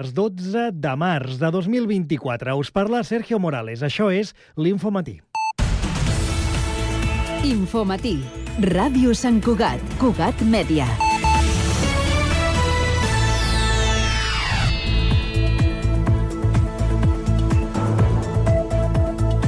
dimarts 12 de març de 2024. Us parla Sergio Morales. Això és l'Infomatí. Infomatí. Ràdio Sant Cugat. Cugat Mèdia.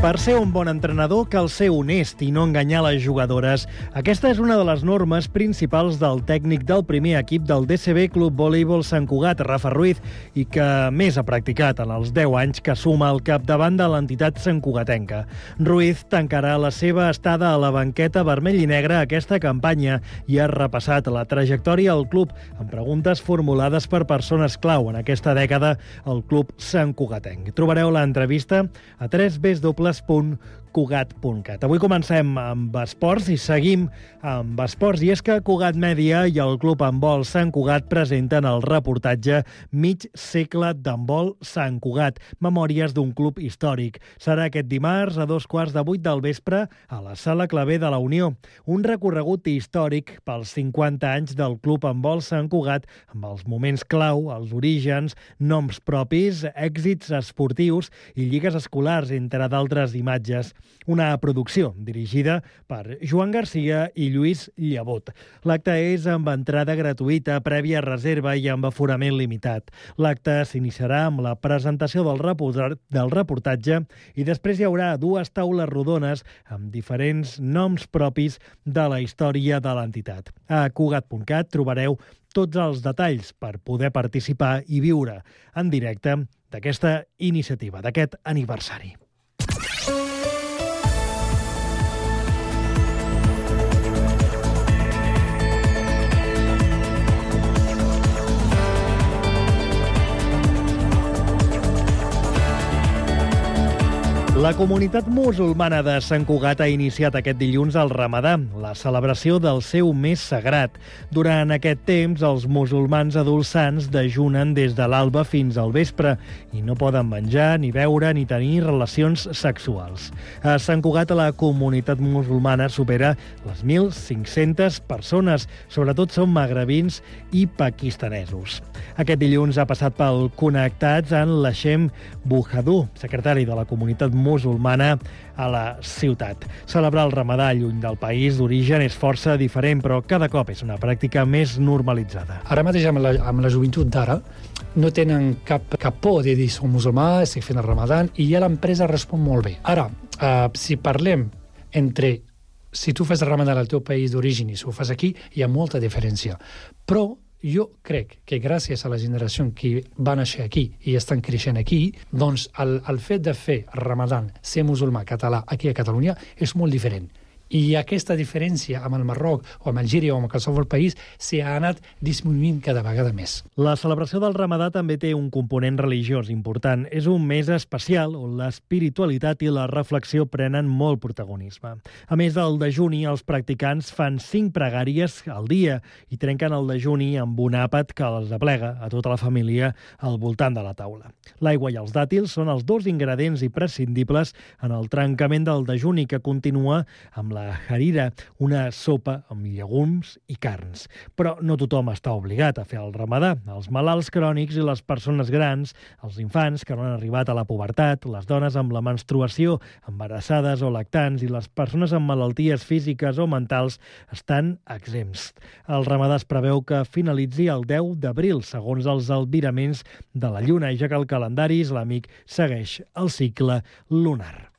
Per ser un bon entrenador cal ser honest i no enganyar les jugadores. Aquesta és una de les normes principals del tècnic del primer equip del DCB Club Voleibol Sant Cugat, Rafa Ruiz, i que més ha practicat en els 10 anys que suma al capdavant de l'entitat santcugatenca. Ruiz tancarà la seva estada a la banqueta vermell i negra aquesta campanya i ha repassat la trajectòria al club amb preguntes formulades per persones clau en aquesta dècada al club santcugatenc. Trobareu l'entrevista a www.cugat.cat. Avui comencem amb esports i seguim amb esports, i és que Cugat Mèdia i el Club Handbol Sant Cugat presenten el reportatge Mig segle d'handbol Sant Cugat, memòries d'un club històric. Serà aquest dimarts a 7:15 del vespre a la Sala Clavé de la Unió. Un recorregut històric pels 50 anys del Club Handbol Sant Cugat, amb els moments clau, els orígens, noms propis, èxits esportius i lligues escolars, entre d'altres imatges. Una producció dirigida per Joan Garcia i Lluís Llevot. L'acte és amb entrada gratuïta, prèvia reserva i amb aforament limitat. L'acte s'iniciarà amb la presentació del reportatge i després hi haurà 2 taules rodones amb diferents noms propis de la història de l'entitat. A Cugat.cat trobareu tots els detalls per poder participar i viure en directe d'aquesta iniciativa, d'aquest aniversari. La comunitat musulmana de Sant Cugat ha iniciat aquest dilluns el Ramadà, la celebració del seu mes sagrat. Durant aquest temps, els musulmans adults sants dejunen des de l'alba fins al vespre i no poden menjar, ni beure, ni tenir relacions sexuals. A Sant Cugat, la comunitat musulmana supera les 1.500 persones, sobretot són magrebins i pakistanesos. Aquest dilluns ha passat pel Connectats en l'Hashem Buhadú, secretari de la comunitat musulmana a la ciutat. Celebrar el Ramadà lluny del país d'origen és força diferent, però cada cop és una pràctica més normalitzada. Ara mateix amb la joventut d'ara no tenen cap por de dir som musulmà, estic fent el Ramadà, i ja l'empresa respon molt bé. Ara, si parlem entre si tu fas el Ramadà al teu país d'origen i si ho fas aquí, hi ha molta diferència. Però jo crec que gràcies a la generació que va néixer aquí i estan creixent aquí, doncs el fet de fer Ramadan, ser musulmà català aquí a Catalunya, és molt diferent. I aquesta diferència amb el Marroc o amb Algèria o amb qualsevol país s'ha anat disminuint cada vegada més. La celebració del Ramadà també té un component religiós important. És un mes especial on l'espiritualitat i la reflexió prenen molt protagonisme. A més del dejuni, els practicants fan 5 pregàries al dia i trenquen el dejuni amb un àpat que els aplega a tota la família al voltant de la taula. L'aigua i els dàtils són els 2 ingredients imprescindibles en el trencament del dejuni, que continua amb la harira, una sopa amb llegums i carns. Però no tothom està obligat a fer el Ramadà. Els malalts crònics i les persones grans, els infants que no han arribat a la pubertat, les dones amb la menstruació, embarassades o lactants i les persones amb malalties físiques o mentals estan exempts. El Ramadà es preveu que finalitzi el 10 d'abril, segons els albiraments de la Lluna, ja que el calendari islàmic segueix el cicle lunar.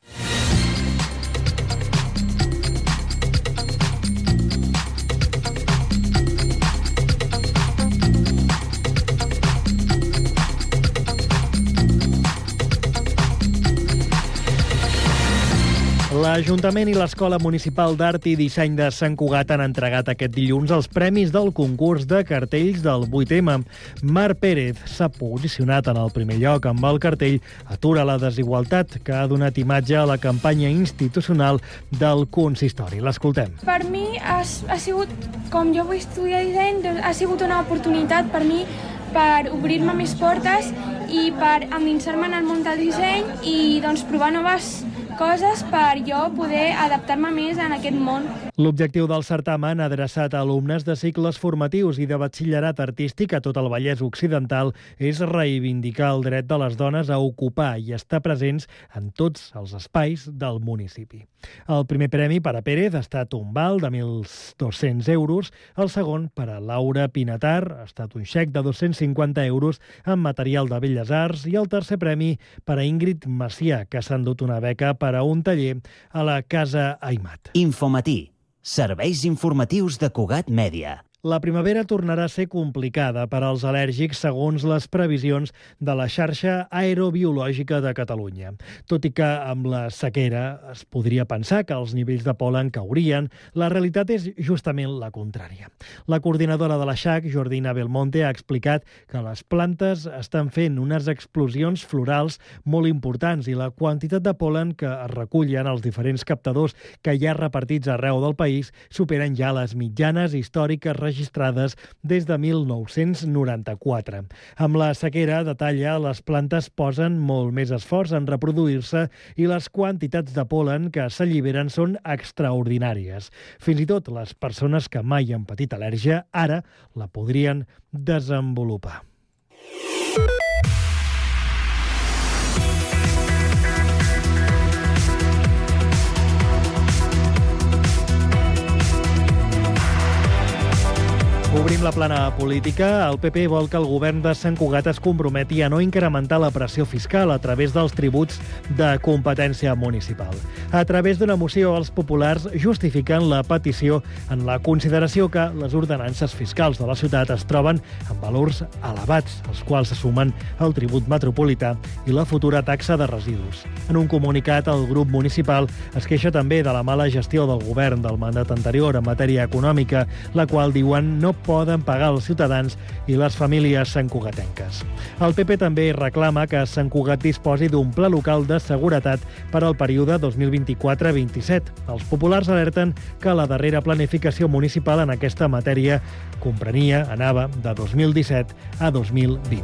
L'Ajuntament i l'Escola Municipal d'Art i Disseny de Sant Cugat han entregat aquest dilluns els premis del concurs de cartells del 8M. Mar Pérez s'ha posicionat en el primer lloc amb el cartell Atura la desigualtat, que ha donat imatge a la campanya institucional del consistori. L'escoltem. Per mi ha sigut, com jo vull estudiar disseny, ha sigut una oportunitat per mi per obrir-me més portes i per endinsar-me en el món del disseny i doncs provar noves coses per jo poder adaptar-me més en aquest món. L'objectiu del certamen, adreçat a alumnes de cicles formatius i de batxillerat artístic a tot el Vallès Occidental, és reivindicar el dret de les dones a ocupar i estar presents en tots els espais del municipi. El primer premi per a Pérez ha estat un val de 1.200 euros, el segon per a Laura Pinatar ha estat un xec de 250 euros en material de Belles Arts i el tercer premi per a Ingrid Macià, que s'ha endut una beca per a un taller a la Casa Aimat. Infomatí. Serveis informatius de Cugat Mèdia. La primavera tornarà a ser complicada per als al·lèrgics segons les previsions de la xarxa aerobiològica de Catalunya. Tot i que amb la sequera es podria pensar que els nivells de pol·len caurien, la realitat és justament la contrària. La coordinadora de la XAC, Jordina Belmonte, ha explicat que les plantes estan fent unes explosions florals molt importants i la quantitat de pol·len que es recullen als diferents captadors que hi ha repartits arreu del país superen ja les mitjanes històriques registrades des de 1994. Amb la sequera, detalla, les plantes posen molt més esforç en reproduir-se i les quantitats de pol·len que s'alliberen són extraordinàries. Fins i tot les persones que mai han patit al·lèrgia ara la podrien desenvolupar. Obrim la plana política. El PP vol que el govern de Sant Cugat es comprometi a no incrementar la pressió fiscal a través dels tributs de competència municipal. A través d'una moció, els populars justifiquen la petició en la consideració que les ordenances fiscals de la ciutat es troben amb valors elevats, als quals se sumen el tribut metropolità i la futura taxa de residus. En un comunicat, el grup municipal es queixa també de la mala gestió del govern del mandat anterior en matèria econòmica, la qual, diuen, no poden pagar els ciutadans i les famílies santcugatenques. El PP també reclama que Sant Cugat disposi d'un pla local de seguretat per al període 2024-27. Els populars alerten que la darrera planificació municipal en aquesta matèria anava de 2017 a 2020.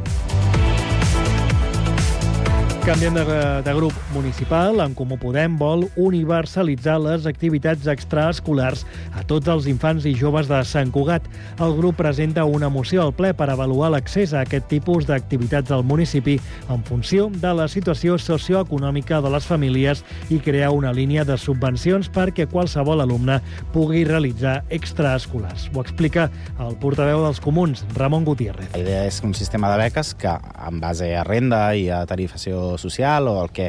Canviem de grup municipal. En Comú Podem vol universalitzar les activitats extraescolars a tots els infants i joves de Sant Cugat. El grup presenta una moció al ple per avaluar l'accés a aquest tipus d'activitats al municipi en funció de la situació socioeconòmica de les famílies i crear una línia de subvencions perquè qualsevol alumne pugui realitzar extraescolars. Ho explica el portaveu dels Comuns, Ramon Gutiérrez. La idea és un sistema de beques que, en base a renda i a tarifació social o el que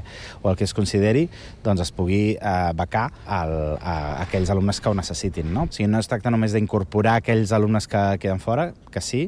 es consideri, doncs es pugui becar a aquells alumnes que ho necessitin. No? O sigui, no es tracta només d'incorporar aquells alumnes que queden fora, que sí,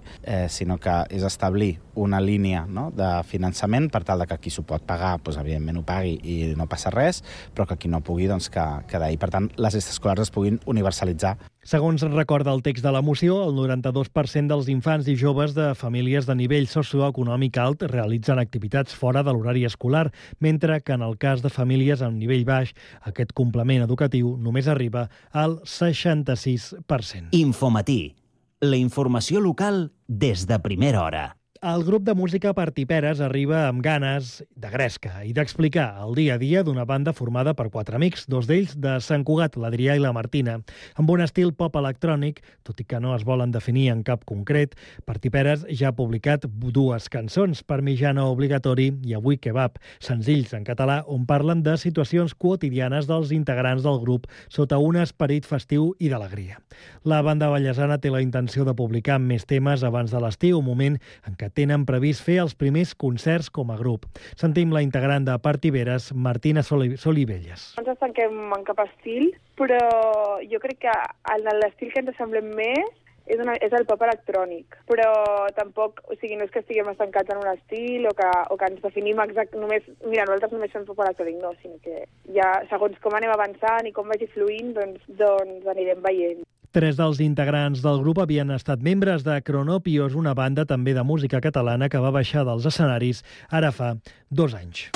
sinó que és establir una línia, no, de finançament per tal que qui s'ho pot pagar, doncs, evidentment ho pagui i no passa res, però que qui no pugui, doncs, que d'ahir. Per tant, les extraescolars es puguin universalitzar. Segons recorda el text de la moció, el 92% dels infants i joves de famílies de nivell socioeconòmic alt realitzen activitats fora de l'horari escolar, mentre que en el cas de famílies amb nivell baix, aquest complement educatiu només arriba al 66%. Infomatí. La informació local des de primera hora. El grup de música Partiperes arriba amb ganes de gresca i d'explicar el dia a dia d'una banda formada per 4 amics, 2 d'ells de Sant Cugat, l'Adrià i la Martina. Amb un estil pop electrònic, tot i que no es volen definir en cap concret, Partiperes ja ha publicat 2 cançons, Parmigiano Obligatori i Avui Kebab, senzills en català on parlen de situacions quotidianes dels integrants del grup sota un esperit festiu i d'alegria. La banda vallesana té la intenció de publicar més temes abans de l'estiu, un moment en què tenen previst fer els primers concerts com a grup. Sentim la integrant de Partiperes, Martina Solivelles. No ens estanquem en cap estil, però jo crec que l'estil que ens semblem més és el pop electrònic, però tampoc, o sigui, no és que estiguem estancats en un estil o que ens definim només, mira, nosaltres només fem pop electrònic, no, sinó que ja, segons com anem avançant i com vagi fluint, doncs anirem veient. 3 dels integrants del grup havien estat membres de Cronopios, una banda també de música catalana que va baixar dels escenaris ara fa 2 anys.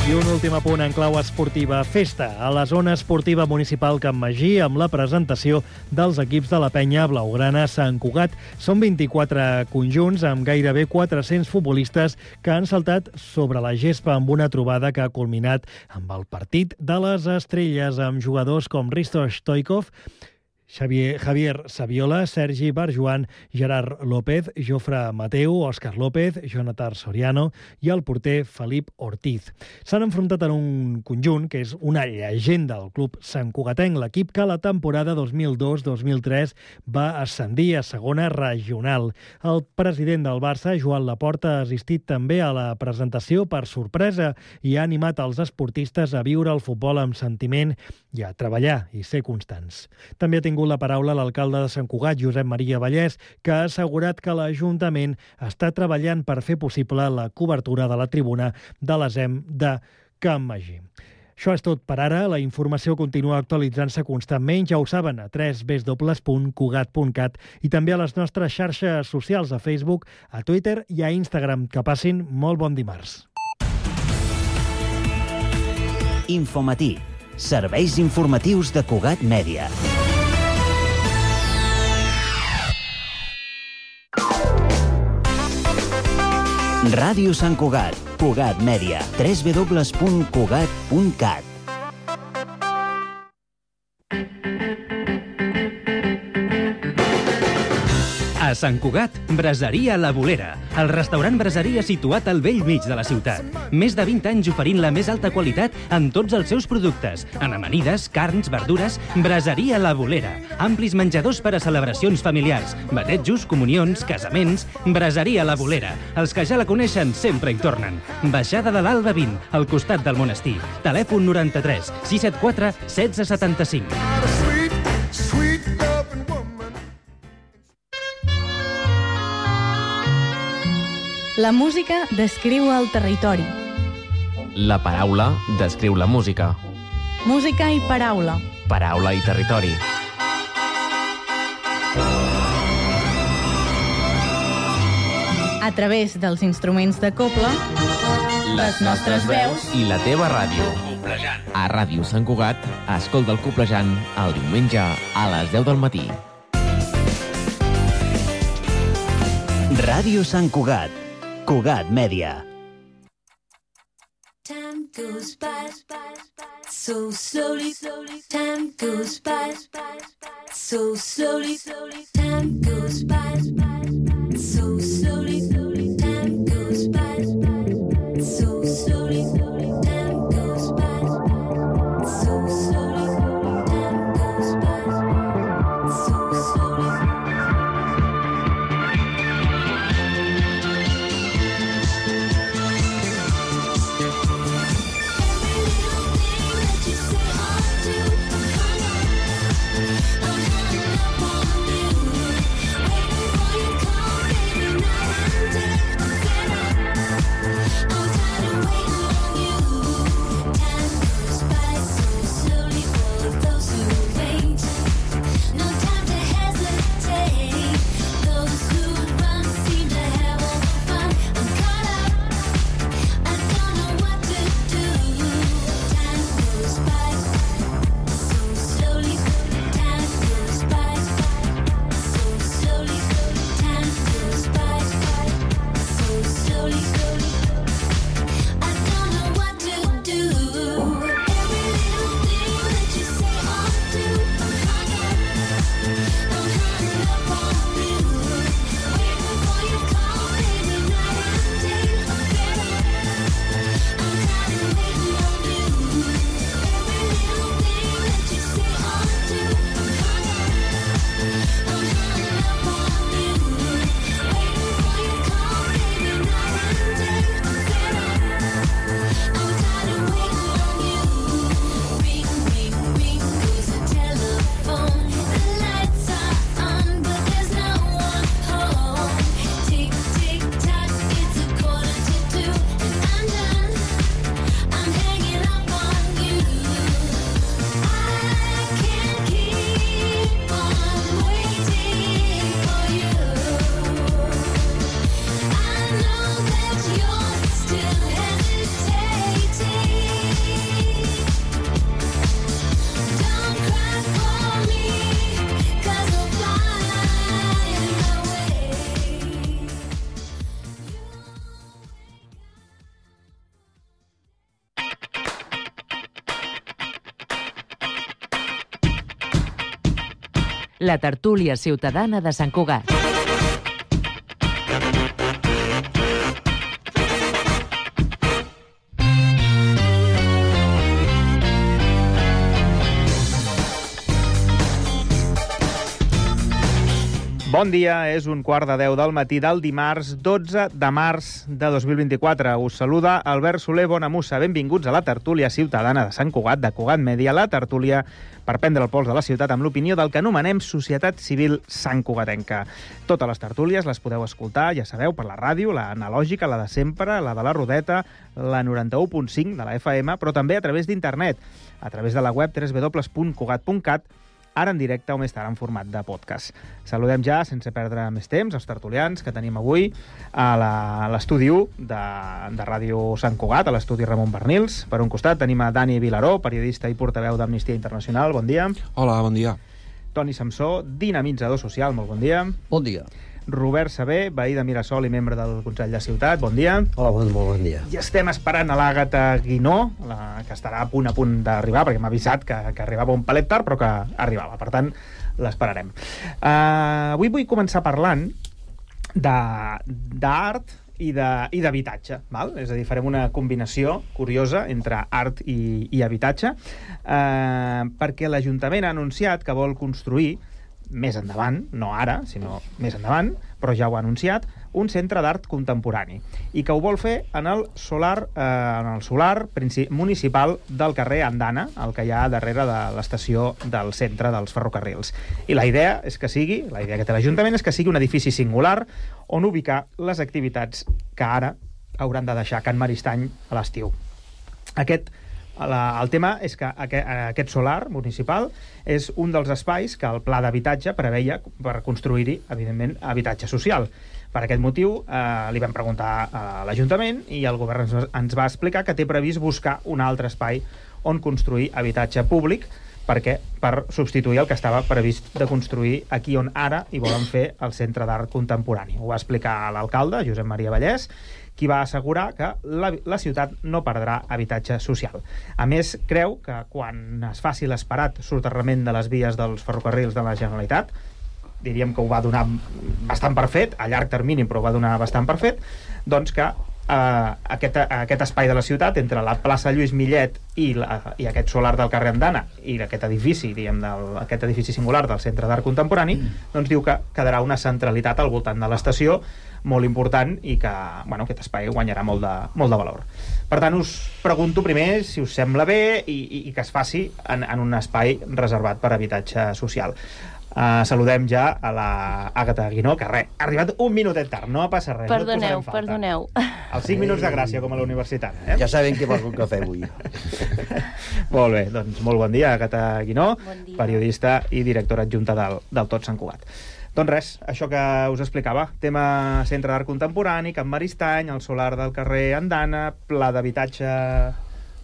I un últim apunt en clau esportiva. Festa a la zona esportiva municipal Can Magí amb la presentació dels equips de la penya blaugrana Sant Cugat. Són 24 conjunts amb gairebé 400 futbolistes que han saltat sobre la gespa amb una trobada que ha culminat amb el partit de les estrelles amb jugadors com Risto Stoikov, Javier Saviola, Sergi Barjuan, Gerard López, Jofre Mateu, Òscar López, Jonathan Soriano i el porter Felip Ortiz. S'han enfrontat en un conjunt que és una llegenda del club santcugatenc, l'equip que la temporada 2002-2003 va ascendir a segona regional. El president del Barça, Joan Laporta, ha assistit també a la presentació per sorpresa i ha animat els esportistes a viure el futbol amb sentiment i a treballar i ser constants. També ha tingut la paraula l'alcalde de Sant Cugat, Josep Maria Vallès, que ha assegurat que l'Ajuntament està treballant per fer possible la cobertura de la tribuna de l'ESEM de Can Magí. Això és tot per ara. La informació continua actualitzant-se constantment, ja ho saben, a www.cugat.cat i també a les nostres xarxes socials, a Facebook, a Twitter i a Instagram. Que passin molt bon dimarts. Infomatí. Serveis informatius de Cugat Mèdia. Ràdio Sant Cugat, Cugat Mèdia, www.cugat.cat. A Sant Cugat, Braseria La Bolera, el restaurant braseria situat al bell mig de la ciutat. Més de 20 anys oferint la més alta qualitat en tots els seus productes, en amanides, carns, verdures. Braseria La Bolera, amplis menjadors per a celebracions familiars, batejos, comunions, casaments. Braseria La Bolera, els que ja la coneixen sempre hi tornen. Baixada de l'Alba 20, al costat del monestir. Telèfon 93 674 1675. La música descriu el territori. La paraula descriu la música. Música i paraula. Paraula i territori. A través dels instruments de cobla, les nostres veus i la teva ràdio. A Ràdio Sant Cugat, escolta el Coplejant el diumenge a les 10 del matí. Ràdio Sant Cugat, Cugat Mèdia. Time goes by so slowly. Time goes by so slowly. Time goes by so slowly. Time goes by so slowly. Time goes by so slowly. Time goes by so slowly. Every little thing that you say or do, I'm hung up on. la tertúlia ciutadana de Sant Cugat. Bon dia, és 9:45 del matí del dimarts 12 de març de 2024. Us saluda Albert Soler Bonamussa. Benvinguts a la tertúlia ciutadana de Sant Cugat, de Cugat Mèdia, la tertúlia per prendre el pols de la ciutat amb l'opinió del que anomenem Societat Civil Sant Cugatenca. Totes les tertúlies les podeu escoltar, ja sabeu, per la ràdio, la analògica, la de sempre, la de la Rodeta, la 91.5 de la FM, però també a través d'internet, a través de la web www.cugat.cat, ara en directe o més tard en format de podcast. Saludem ja, sense perdre més temps, els tertulians que tenim avui a l'estudi 1 de Ràdio Sant Cugat, a l'estudi Ramon Bernils. Per un costat tenim a Dani Vilaró, periodista i portaveu d'Amnistia Internacional. Bon dia. Hola, bon dia. Toni Samsó, dinamitzador social. Molt bon dia. Bon dia. Robert Sabé, veí de Mirasol i membre del Consell de Ciutat. Bon dia. Hola, molt bon dia. I estem esperant a l'Àgata Guinó, que estarà a punt d'arribar, perquè m'ha avisat que arribava un palet tard, però que arribava. Per tant, l'esperarem. Avui vull començar parlant d'art i d'habitatge, val? És a dir, farem una combinació curiosa entre art i habitatge, perquè l'Ajuntament ha anunciat que vol construir més endavant, no ara, sinó més endavant, però ja ho ha anunciat, un centre d'art contemporani, i que ho vol fer en el solar municipal del carrer Andana, el que hi ha darrere de l'estació del centre dels ferrocarrils. I la idea que té l'Ajuntament és que sigui un edifici singular on ubicar les activitats que ara hauran de deixar Can Maristany a l'estiu. El tema és que aquest solar municipal és un dels espais que el pla d'habitatge preveia per construir-hi, evidentment, habitatge social. Per aquest motiu li vam preguntar a l'Ajuntament i el govern ens va explicar que té previst buscar un altre espai on construir habitatge públic per substituir el que estava previst de construir aquí on ara hi volen fer el Centre d'Art Contemporani. Ho va explicar l'alcalde, Josep Maria Vallès, qui va assegurar que la ciutat no perdrà habitatge social. A més, creu que quan es faci l'esperat soterrament de les vies dels ferrocarrils de la Generalitat, diríem que ho va donar bastant per fet, a llarg termini, però ho va donar bastant per fet, doncs que aquest espai de la ciutat, entre la plaça Lluís Millet i aquest solar del carrer Andana i aquest edifici, aquest edifici singular del Centre d'Art Contemporani, doncs diu que quedarà una centralitat al voltant de l'estació molt important i que aquest espai guanyarà molt de valor. Per tant, us pregunto primer si us sembla bé i que es faci en un espai reservat per habitatge social. Saludem ja a l'Àgata Guinó, que ha arribat un minutet tard, no passa res. Perdoneu. Els 5 minuts de gràcia, com a la universitat. Ja sabem que vols un cafè avui. Molt bé, doncs molt bon dia, Àgata Guinó, periodista i directora adjunta del Tot Sant Cugat. Doncs res, això que us explicava, tema Centre d'Art Contemporani, Can Maristany, el solar del carrer Andana, pla d'habitatge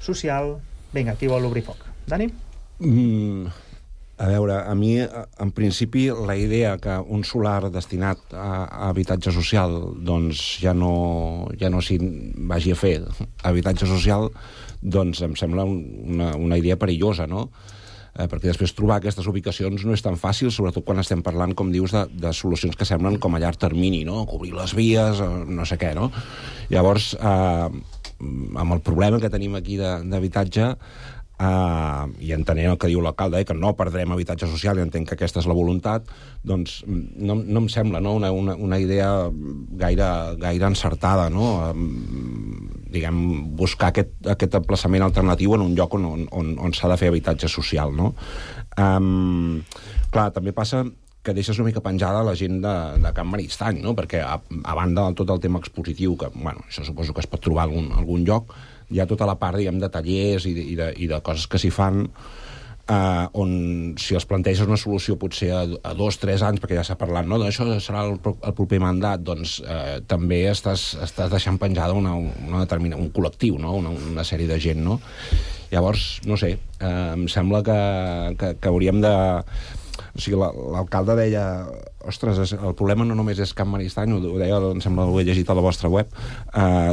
social... Vinga, qui vol obrir foc? Dani? A veure, a mi, en principi, la idea que un solar destinat a habitatge social doncs ja no s'hi vagi a fer habitatge social, doncs em sembla una idea perillosa, no? Perquè després trobar aquestes ubicacions no és tan fàcil, sobretot quan estem parlant, com dius, de solucions que semblen com a llarg termini, no? Cobrir les vies, no sé què, no? Llavors, amb el problema que tenim aquí d'habitatge, i entenent el que diu l'alcalde, que no perdrem habitatge social, i entenc que aquesta és la voluntat, doncs no em sembla una idea gaire encertada, no? Diguem, buscar aquest emplaçament alternatiu en un lloc on s'ha de fer habitatge social, no? Clar, també passa que deixes una mica penjada la gent de Can Maristany, no? Perquè a banda de tot el tema expositiu, que, això suposo que es pot trobar en algun lloc, hi ha tota la part, diguem, de tallers i de coses que s'hi fan, on si els planteges una solució potser a 2 o 3 anys, perquè ja s'ha parlat, no? Això serà el proper mandat, doncs també estàs deixant penjada un col·lectiu, no? Una sèrie de gent, no? Llavors, no sé, em sembla que hauríem de O sigui, l'alcalde deia, ostres, el problema no només és Can Maristany, ho deia, em sembla que ho he llegit a la vostra web,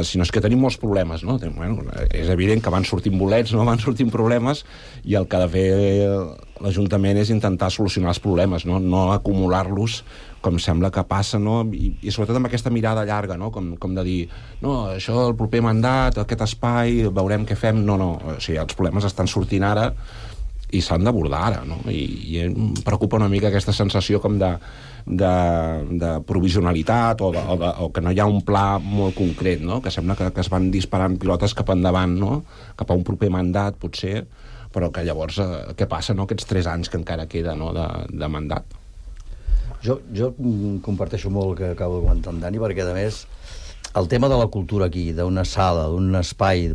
sinó és que tenim molts problemes, no? Bueno, és evident que van sortint bolets, no? Van sortint problemes, i el que ha de fer l'Ajuntament és intentar solucionar els problemes, no acumular-los com sembla que passa, no? I sobretot amb aquesta mirada llarga, no? Com de dir, no, això el proper mandat, aquest espai, veurem què fem. No, o sigui, els problemes estan sortint ara i s'han d'abordar ara, no? I em preocupa una mica aquesta sensació com de provisionalitat o que no hi ha un pla molt concret, no? Que sembla que es van disparant pilotes cap endavant, no? Cap a un proper mandat, potser, però que llavors què passa, no? Aquests 3 anys que encara queda, no? De mandat. Jo comparteixo molt el que acabo de comentar en Dani, perquè, a més, el tema de la cultura aquí, d'una sala, d'un espai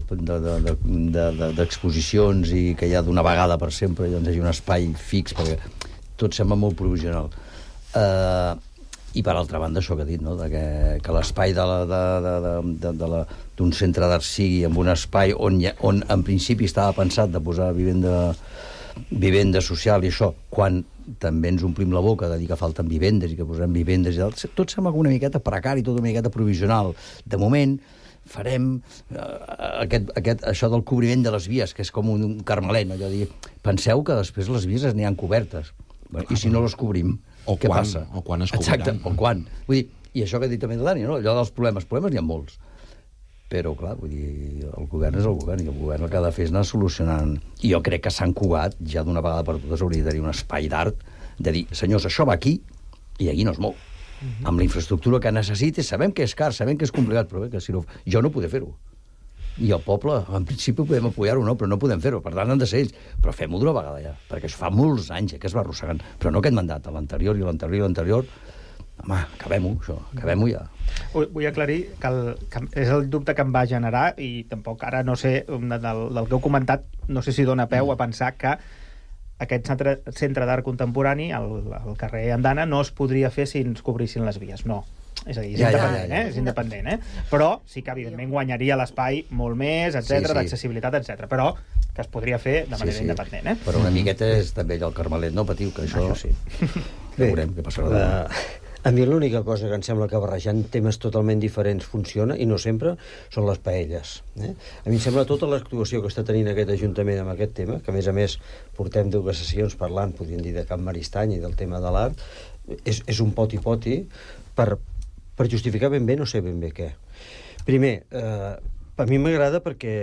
d'exposicions i que hi ha d'una vegada per sempre, doncs hi hagi un espai fix, perquè tot sembla molt provisional. I, per altra banda, això que he dit, no? Que l'espai d'un centre d'art sigui en un espai on en principi estava pensat de posar vivenda social i això, quan també ens omplim la boca de dir que falten vivendes i que posarem vivendes i tal, tot sembla una miqueta precari, tot una miqueta provisional. De moment farem això del cobriment de les vies, que és com un carmelet, no? Allò de dir, penseu que després les vies n'hi han cobertes, i si no les cobrim, què passa? O quan es cobriran. Exacte, o quan. Vull dir, i això que ha dit també el Dani, no? Allò dels problemes n'hi ha molts. Però, clar, vull dir, el govern és el govern, i el govern el que ha de fer és anar solucionant. I jo crec que Sant Cugat, ja d'una vegada per totes, hauria de tenir un espai d'art, de dir, senyors, això va aquí, i aquí no es mou. Amb la infraestructura que necessites, sabem que és car, sabem que és complicat, però bé, que si no, jo no podré fer-ho. I el poble, en principi, podem apoyar-ho, no, però no podem fer-ho, per tant han de ser ells. Però fem-ho d'una vegada ja, perquè això fa molts anys que es va arrossegant, però no aquest mandat, l'anterior i l'anterior. Home, acabem-ho, això, acabem-ho ja. Vull aclarir que és el dubte que em va generar, i tampoc ara no sé, del que heu comentat, no sé si dona peu a pensar que aquest centre d'art contemporani, al carrer Andana, no es podria fer si ens cobrissin les vies. No. És a dir, és independent, Però sí que, evidentment, guanyaria l'espai molt més, etc, d'accessibilitat, etc. Però que es podria fer de manera independent, Però una miqueta és també allò el carmelet, no patiu, que això sí. Veurem què passarà. A mi l'única cosa que em sembla que barrejant temes totalment diferents funciona, i no sempre, són les paelles. A mi em sembla tota l'actuació que està tenint aquest Ajuntament amb aquest tema, que a més portem 2 sessions parlant, podríem dir, de Can Maristany i del tema de l'art, és un poti-poti per justificar ben bé no sé ben bé què. Primer, a mi m'agrada perquè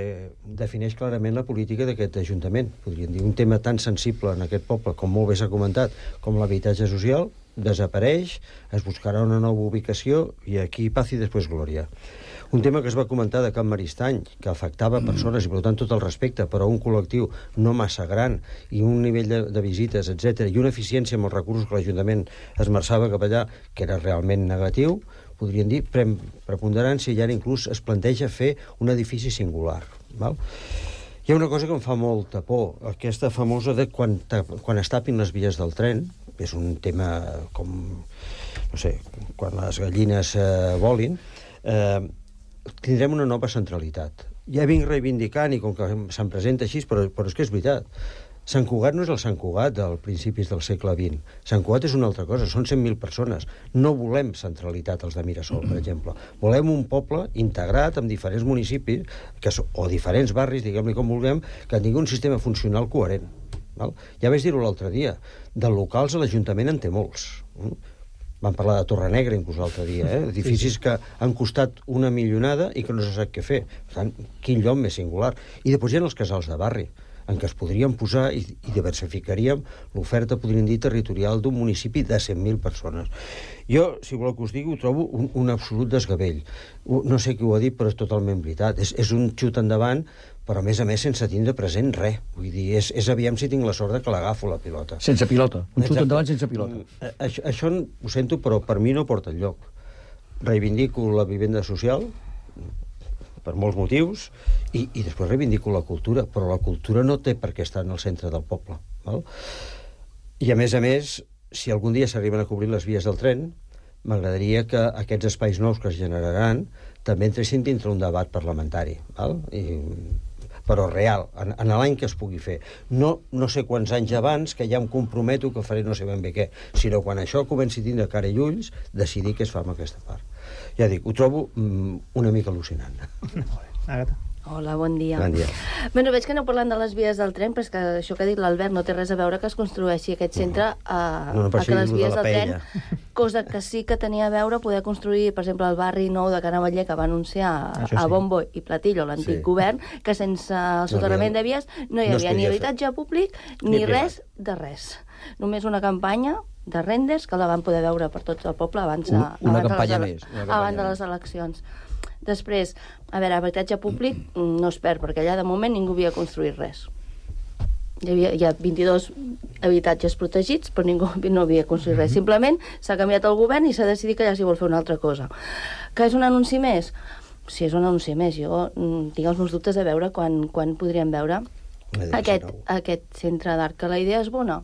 defineix clarament la política d'aquest Ajuntament. Podríem dir, un tema tan sensible en aquest poble, com molt bé s'ha comentat, com l'habitatge social, desapareix, es buscarà una nova ubicació i aquí paz i després glòria. Un tema que es va comentar de Can Maristany, que afectava persones i per tant tot el respecte, però un col·lectiu no massa gran i un nivell de visites, etc, i una eficiència amb els recursos que l'Ajuntament esmerçava cap allà, que era realment negatiu, podríem dir, preponderància, i ara inclús es planteja fer un edifici singular. Val? Hi ha una cosa que em fa molta por, aquesta famosa de quan es tapin les vies del tren, és un tema com, no sé, quan les gallines volin, tindrem una nova centralitat. Ja vinc reivindicant, i com que se'n presenta així, però és que és veritat. Sant Cugat no és el Sant Cugat dels principis del segle XX. Sant Cugat és una altra cosa, són 100.000 persones. No volem centralitat als de Mirasol, per exemple. Volem un poble integrat amb diferents municipis, o diferents barris, diguem-li com vulguem, que tingui un sistema funcional coherent. Val? Ja vaig dir-ho l'altre dia, de locals a l'Ajuntament en té molts. Vam parlar de Torrenegra inclús l'altre dia, edificis que han costat una milionada i que no se sap què fer. Per tant, quin lloc més singular. I després hi ha els casals de barri, en què es podrien posar i diversificaríem l'oferta, podríem dir, territorial d'un municipi de 100.000 persones. Jo, si voleu que us digui, ho trobo un absolut desgavell. No sé qui ho ha dit, però és totalment veritat. És un xut endavant, però a més sense tindre present res. Vull dir, és aviam si tinc la sort de que l'agafo la pilota. Sense pilota. Un xut endavant sense pilota. Això ho sento, però per mi no porta enlloc. Reivindico la vivenda social, per molts motius, i després reivindico la cultura, però la cultura no té per què estar en el centre del poble. Val? I a més, si algun dia s'arriben a cobrir les vies del tren, m'agradaria que aquests espais nous que es generaran també entressin dintre un debat parlamentari. Val? però real, en l'any que es pugui fer. No sé quants anys abans, que ja em comprometo que faré no sé ben bé què, sinó quan això comenci a tindre cara i ulls, decidir què es fa amb aquesta part. Ja dic, ho trobo una mica al·lucinant. Agata. Hola, bon dia. Bon dia. Bueno, veig que aneu parlant de les vies del tren, però és que això que ha dit l'Albert no té res a veure que es construeixi aquest centre a que les vies del tren, cosa que sí que tenia a veure poder construir, per exemple, el barri nou de Canavaller, que va anunciar a bombo i platillo l'antic govern, que sense el soterrament de vies no hi havia ni habitatge públic ni res de res. Només una campanya de renders que la van poder veure per tot el poble abans de les eleccions. Després, a veure, habitatge públic no es perd, perquè allà de moment ningú havia construït res. Hi ha 22 habitatges protegits, però ningú no havia construït res. Simplement s'ha canviat el govern i s'ha decidit que allà s'hi vol fer una altra cosa. Que és un anunci més? Sí, és un anunci més. Jo tinc els meus dubtes a veure quan podríem veure aquest centre d'art. Que la idea és bona?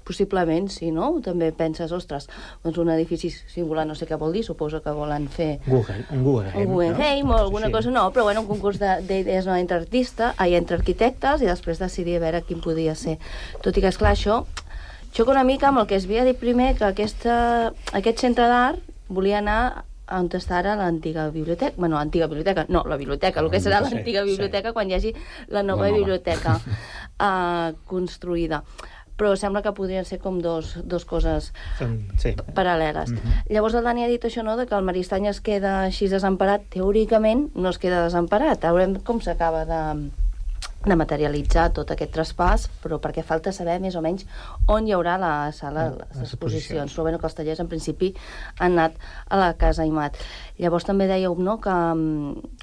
Possiblement, sí, no? També penses, ostres, doncs un edifici singular, no sé què vol dir, suposo que volen fer... Un Guggenheim o alguna cosa, no, però bueno, un concurs d'idees entre arquitectes i després decidir a veure quin podia ser. Tot i que, esclar, això xoca una mica amb el que es havia dit primer, que aquest centre d'art volia anar on està ara l'antiga biblioteca. Bueno, antiga biblioteca, no, la biblioteca, el que serà l'antiga biblioteca quan hi hagi la nova biblioteca construïda. Però sembla que podrien ser com dos coses paral·leles. Llavors el Dani ha dit això, no?, de que el Maristany es queda així desemparat. Teòricament no es queda desemparat. Veurem com s'acaba de materialitzar tot aquest traspàs, però perquè falta saber més o menys on hi haurà la sala de les exposicions. Però bueno, que els tallers en principi han anat a la Casa Aimat. Llavors també dèieu, no?, que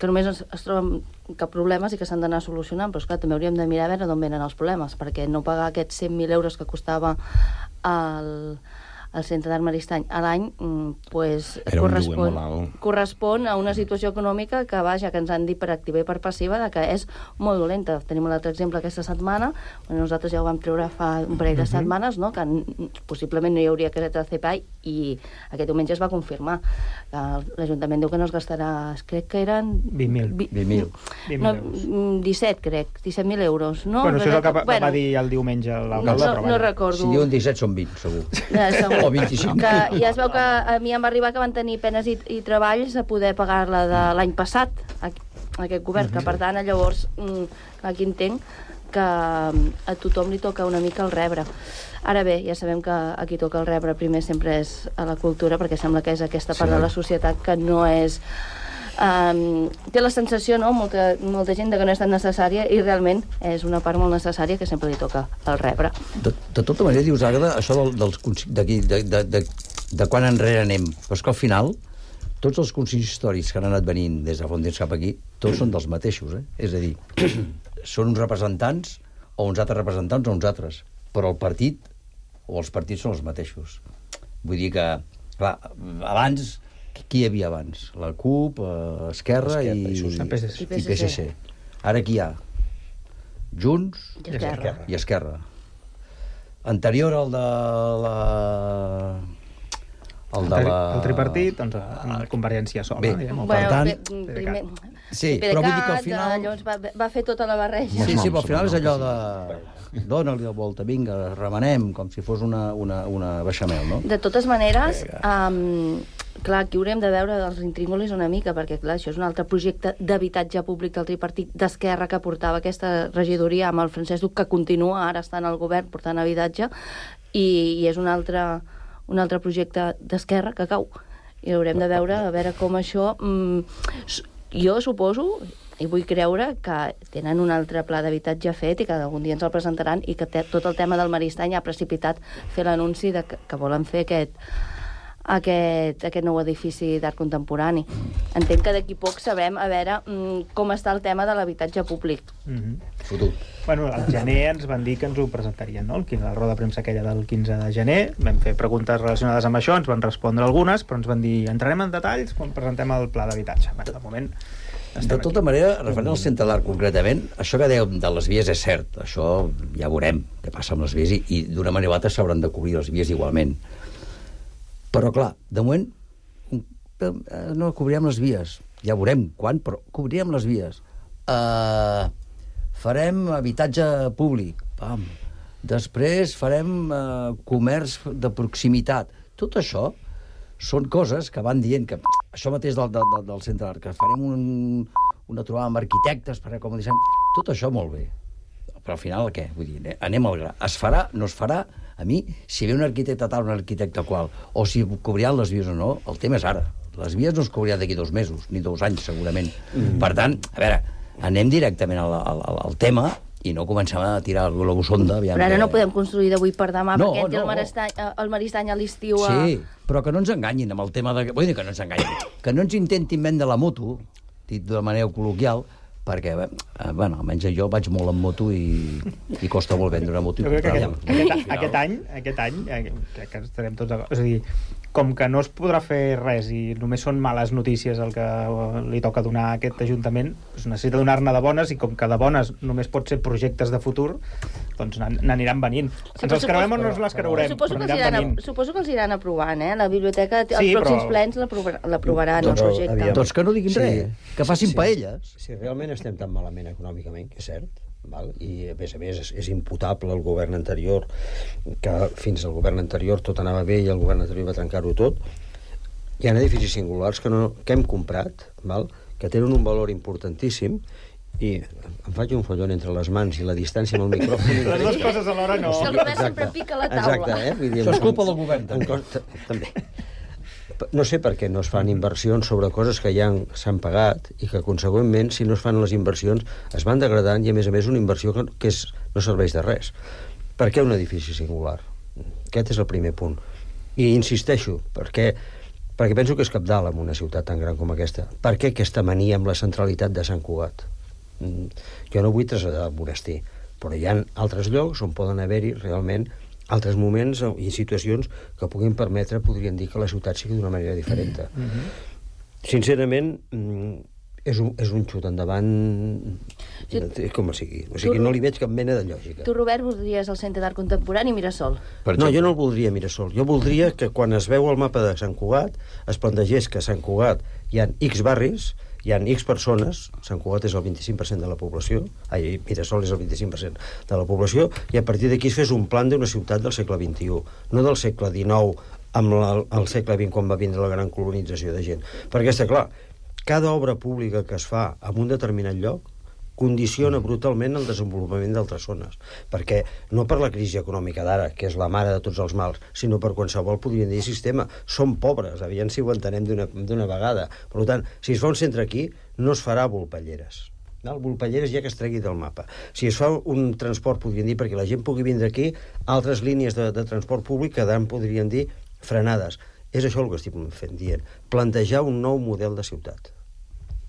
només es troben cap problemes i que s'han d'anar solucionant, però esclar, també hauríem de mirar a veure d'on venen els problemes, perquè no pagar aquests 100.000 euros que costava el Centre d'Art Maristany a l'any correspon a una situació econòmica que, vaja, que ens han dit per activa i per passiva que és molt dolenta. Tenim un altre exemple aquesta setmana, nosaltres ja ho vam treure fa un parell de setmanes, no?, que possiblement no hi hauria caseta de CPI, i aquest diumenge es va confirmar. L'Ajuntament diu que no es gastarà, crec que eren 17, crec, 17.000 euros. Bueno, això és el que va dir el diumenge l'alcalde. No recordo. Si diuen 17 són 20, segur. O 25. Ja es veu que a mi em va arribar que van tenir penes i treballs a poder pagar-la de l'any passat, aquest govern, que per tant, llavors, aquí entenc que a tothom li toca una mica el rebre. Ara bé, ja sabem que a qui toca el rebre primer sempre és a la cultura, perquè sembla que és aquesta part de la societat que no és... té la sensació, no?, molta gent, que no és tan necessària, i realment és una part molt necessària que sempre li toca el rebre. De tota manera, dius, Àgueda, això de quan enrere anem, però és que al final tots els consistoris que han anat venint des de fa un temps cap aquí, tots són dels mateixos, És a dir, són uns representants, o uns altres representants, o uns altres, però el partit, o els partits són els mateixos. Vull dir que, clar, abans... Qui hi havia abans? La CUP, Esquerra i PSC. Ara qui hi ha? Junts i Esquerra. Anterior al de el tripartit, doncs Convergència sola. Per tant... Sí, però vull dir que al final... Llavors va fer tota la barreja. Sí, però al final és allò de... Dóna-li la volta, vinga, remenem, com si fos una beixamel, no? De totes maneres, clar, aquí haurem de veure els intríngulis una mica, perquè, clar, això és un altre projecte d'habitatge públic del tripartit d'Esquerra que portava aquesta regidoria amb el Francesc Duc, que continua ara estant al govern portant habitatge, i és un altre projecte d'Esquerra que cau. I haurem de veure a veure com això... Jo suposo, i vull creure, que tenen un altre pla d'habitatge fet i que algun dia ens el presentaran, i que tot el tema del Maristany ha precipitat fer l'anunci que volen fer aquest nou edifici d'art contemporani. Entenc que d'aquí poc sabrem a veure com està el tema de l'habitatge públic. Fotut. Bueno, al gener ens van dir que ens ho presentarien, no? La roda de premsa aquella del 15 de gener, vam fer preguntes relacionades amb això, ens van respondre algunes, però ens van dir, entrarem en detalls quan presentem el pla d'habitatge. Bueno, de moment... De tota manera, referent al Centre d'Art concretament, això que dèiem de les vies és cert, això ja veurem què passa amb les vies, i d'una manera o altra s'hauran de cobrir les vies igualment. Però, clar, de moment no cobrirem les vies. Ja veurem quan, però cobrirem les vies. farem habitatge públic, pam. Després farem comerç de proximitat. Tot això són coses que van dient que això mateix del centre d'art, que farem una trobada amb arquitectes, com dissem, tot això molt bé. Però al final què? Vull dir, anem al gra. Es farà, no es farà? A mi, si ve un arquitecte tal, un arquitecte qual, o si cobriran les vies o no, el tema és ara. Les vies no es cobriran d'aquí 2 mesos, ni 2 anys, segurament. Per tant, a veure, anem directament al tema i no comencem a tirar el globus sonda. Però ara no podem construir d'avui per demà, perquè entri el Maristany a l'estiu... Sí, però que no ens enganyin amb el tema de... Vull dir que no ens enganyin. Que no ens intentin vendre la moto, dit de manera col·loquial, perquè, bueno, almenys jo vaig molt en moto i costa molt vendre una moto. Jo crec que aquest any crec que estarem tots d'acord. És a dir, com que no es podrà fer res i només són males notícies el que li toca donar a aquest Ajuntament, doncs necessita donar-ne de bones, i com que de bones només pot ser projectes de futur, doncs n'aniran venint. Ens els creurem o no ens les creurem, però aniran venint. Suposo que els iran aprovant, La biblioteca, els pròxims plens l'aprovaran, el projecte. Doncs que no diguin res, que facin paelles. Si realment estem tan malament econòmicament, que és cert, val? I a més és imputable al govern anterior, que fins al govern anterior tot anava bé i el govern anterior va trencar-ho tot. Hi ha edificis singulars que hem comprat, val? Que tenen un valor importantíssim, i em faig un follon entre les mans i la distància amb el micròfon. Les dues coses alhora no. El govern sempre pica la taula. Exacte, Això és culpa del govern, també. No sé per què no es fan inversions sobre coses que ja s'han pagat i que, consegüentment, si no es fan les inversions, es van degradant i, a més, una inversió que no serveix de res. Per què un edifici singular? Aquest és el primer punt. I insisteixo, perquè penso que és cabdal en una ciutat tan gran com aquesta. Per què aquesta mania amb la centralitat de Sant Cugat? Jo no vull traslladar el monestir, però hi ha altres llocs on poden haver-hi realment altres moments i situacions que puguin permetre, podrien dir, que la ciutat sigui d'una manera diferent. Sincerament, és un xut endavant com sigui. O sigui, no li veig cap mena de lògica. Tu, Robert, voldries el Centre d'Art Contemporani Mirasol? No, jo no el voldria Mirasol. Jo voldria que quan es veu el mapa de Sant Cugat es plantegés que a Sant Cugat hi ha X barris, hi ha X persones, Sant Cugat és el 25% de la població, Mirasol és el 25% de la població, i a partir d'aquí es fes un plan d'una ciutat del segle XXI, no del segle XIX, amb el segle XX, quan va vindre la gran colonització de gent. Perquè està clar, cada obra pública que es fa en un determinat lloc condiciona brutalment el desenvolupament d'altres zones, perquè no per la crisi econòmica d'ara, que és la mare de tots els mals, sinó per qualsevol, podríem dir, sistema. Som pobres, aviam si ho entenem d'una vegada. Per tant, si es fa un centre aquí, no es farà Volpelleres. Volpelleres ja que es tregui del mapa. Si es fa un transport, podríem dir, perquè la gent pugui vindre aquí, altres línies de transport públic quedaran, podríem dir, frenades. És això el que estic dient. Plantejar un nou model de ciutat.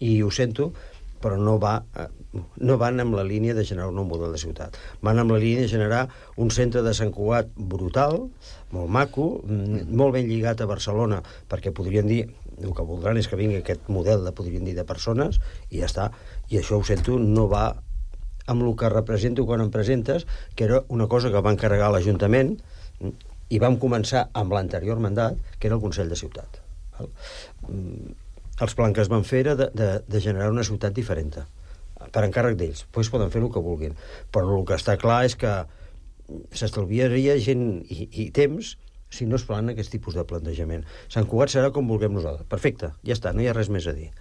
I ho sento, però no van amb la línia de generar un nou model de ciutat. Van amb la línia de generar un centre de Sant Cugat brutal, molt maco, molt ben lligat a Barcelona, perquè podrien dir, el que voldran és que vingui aquest model de persones, i ja està. I això, ho sento, no va amb el que represento quan em presentes, que era una cosa que va encarregar l'Ajuntament, i vam començar amb l'anterior mandat, que era el Consell de Ciutat. Els plans que es van fer era de generar una ciutat diferent, per encàrrec d'ells. Doncs poden fer el que vulguin. Però el que està clar és que s'estalviaria gent i temps si no es fan aquest tipus de plantejament. Sant Cugat serà com vulguem nosaltres. Perfecte, ja està, no hi ha res més a dir.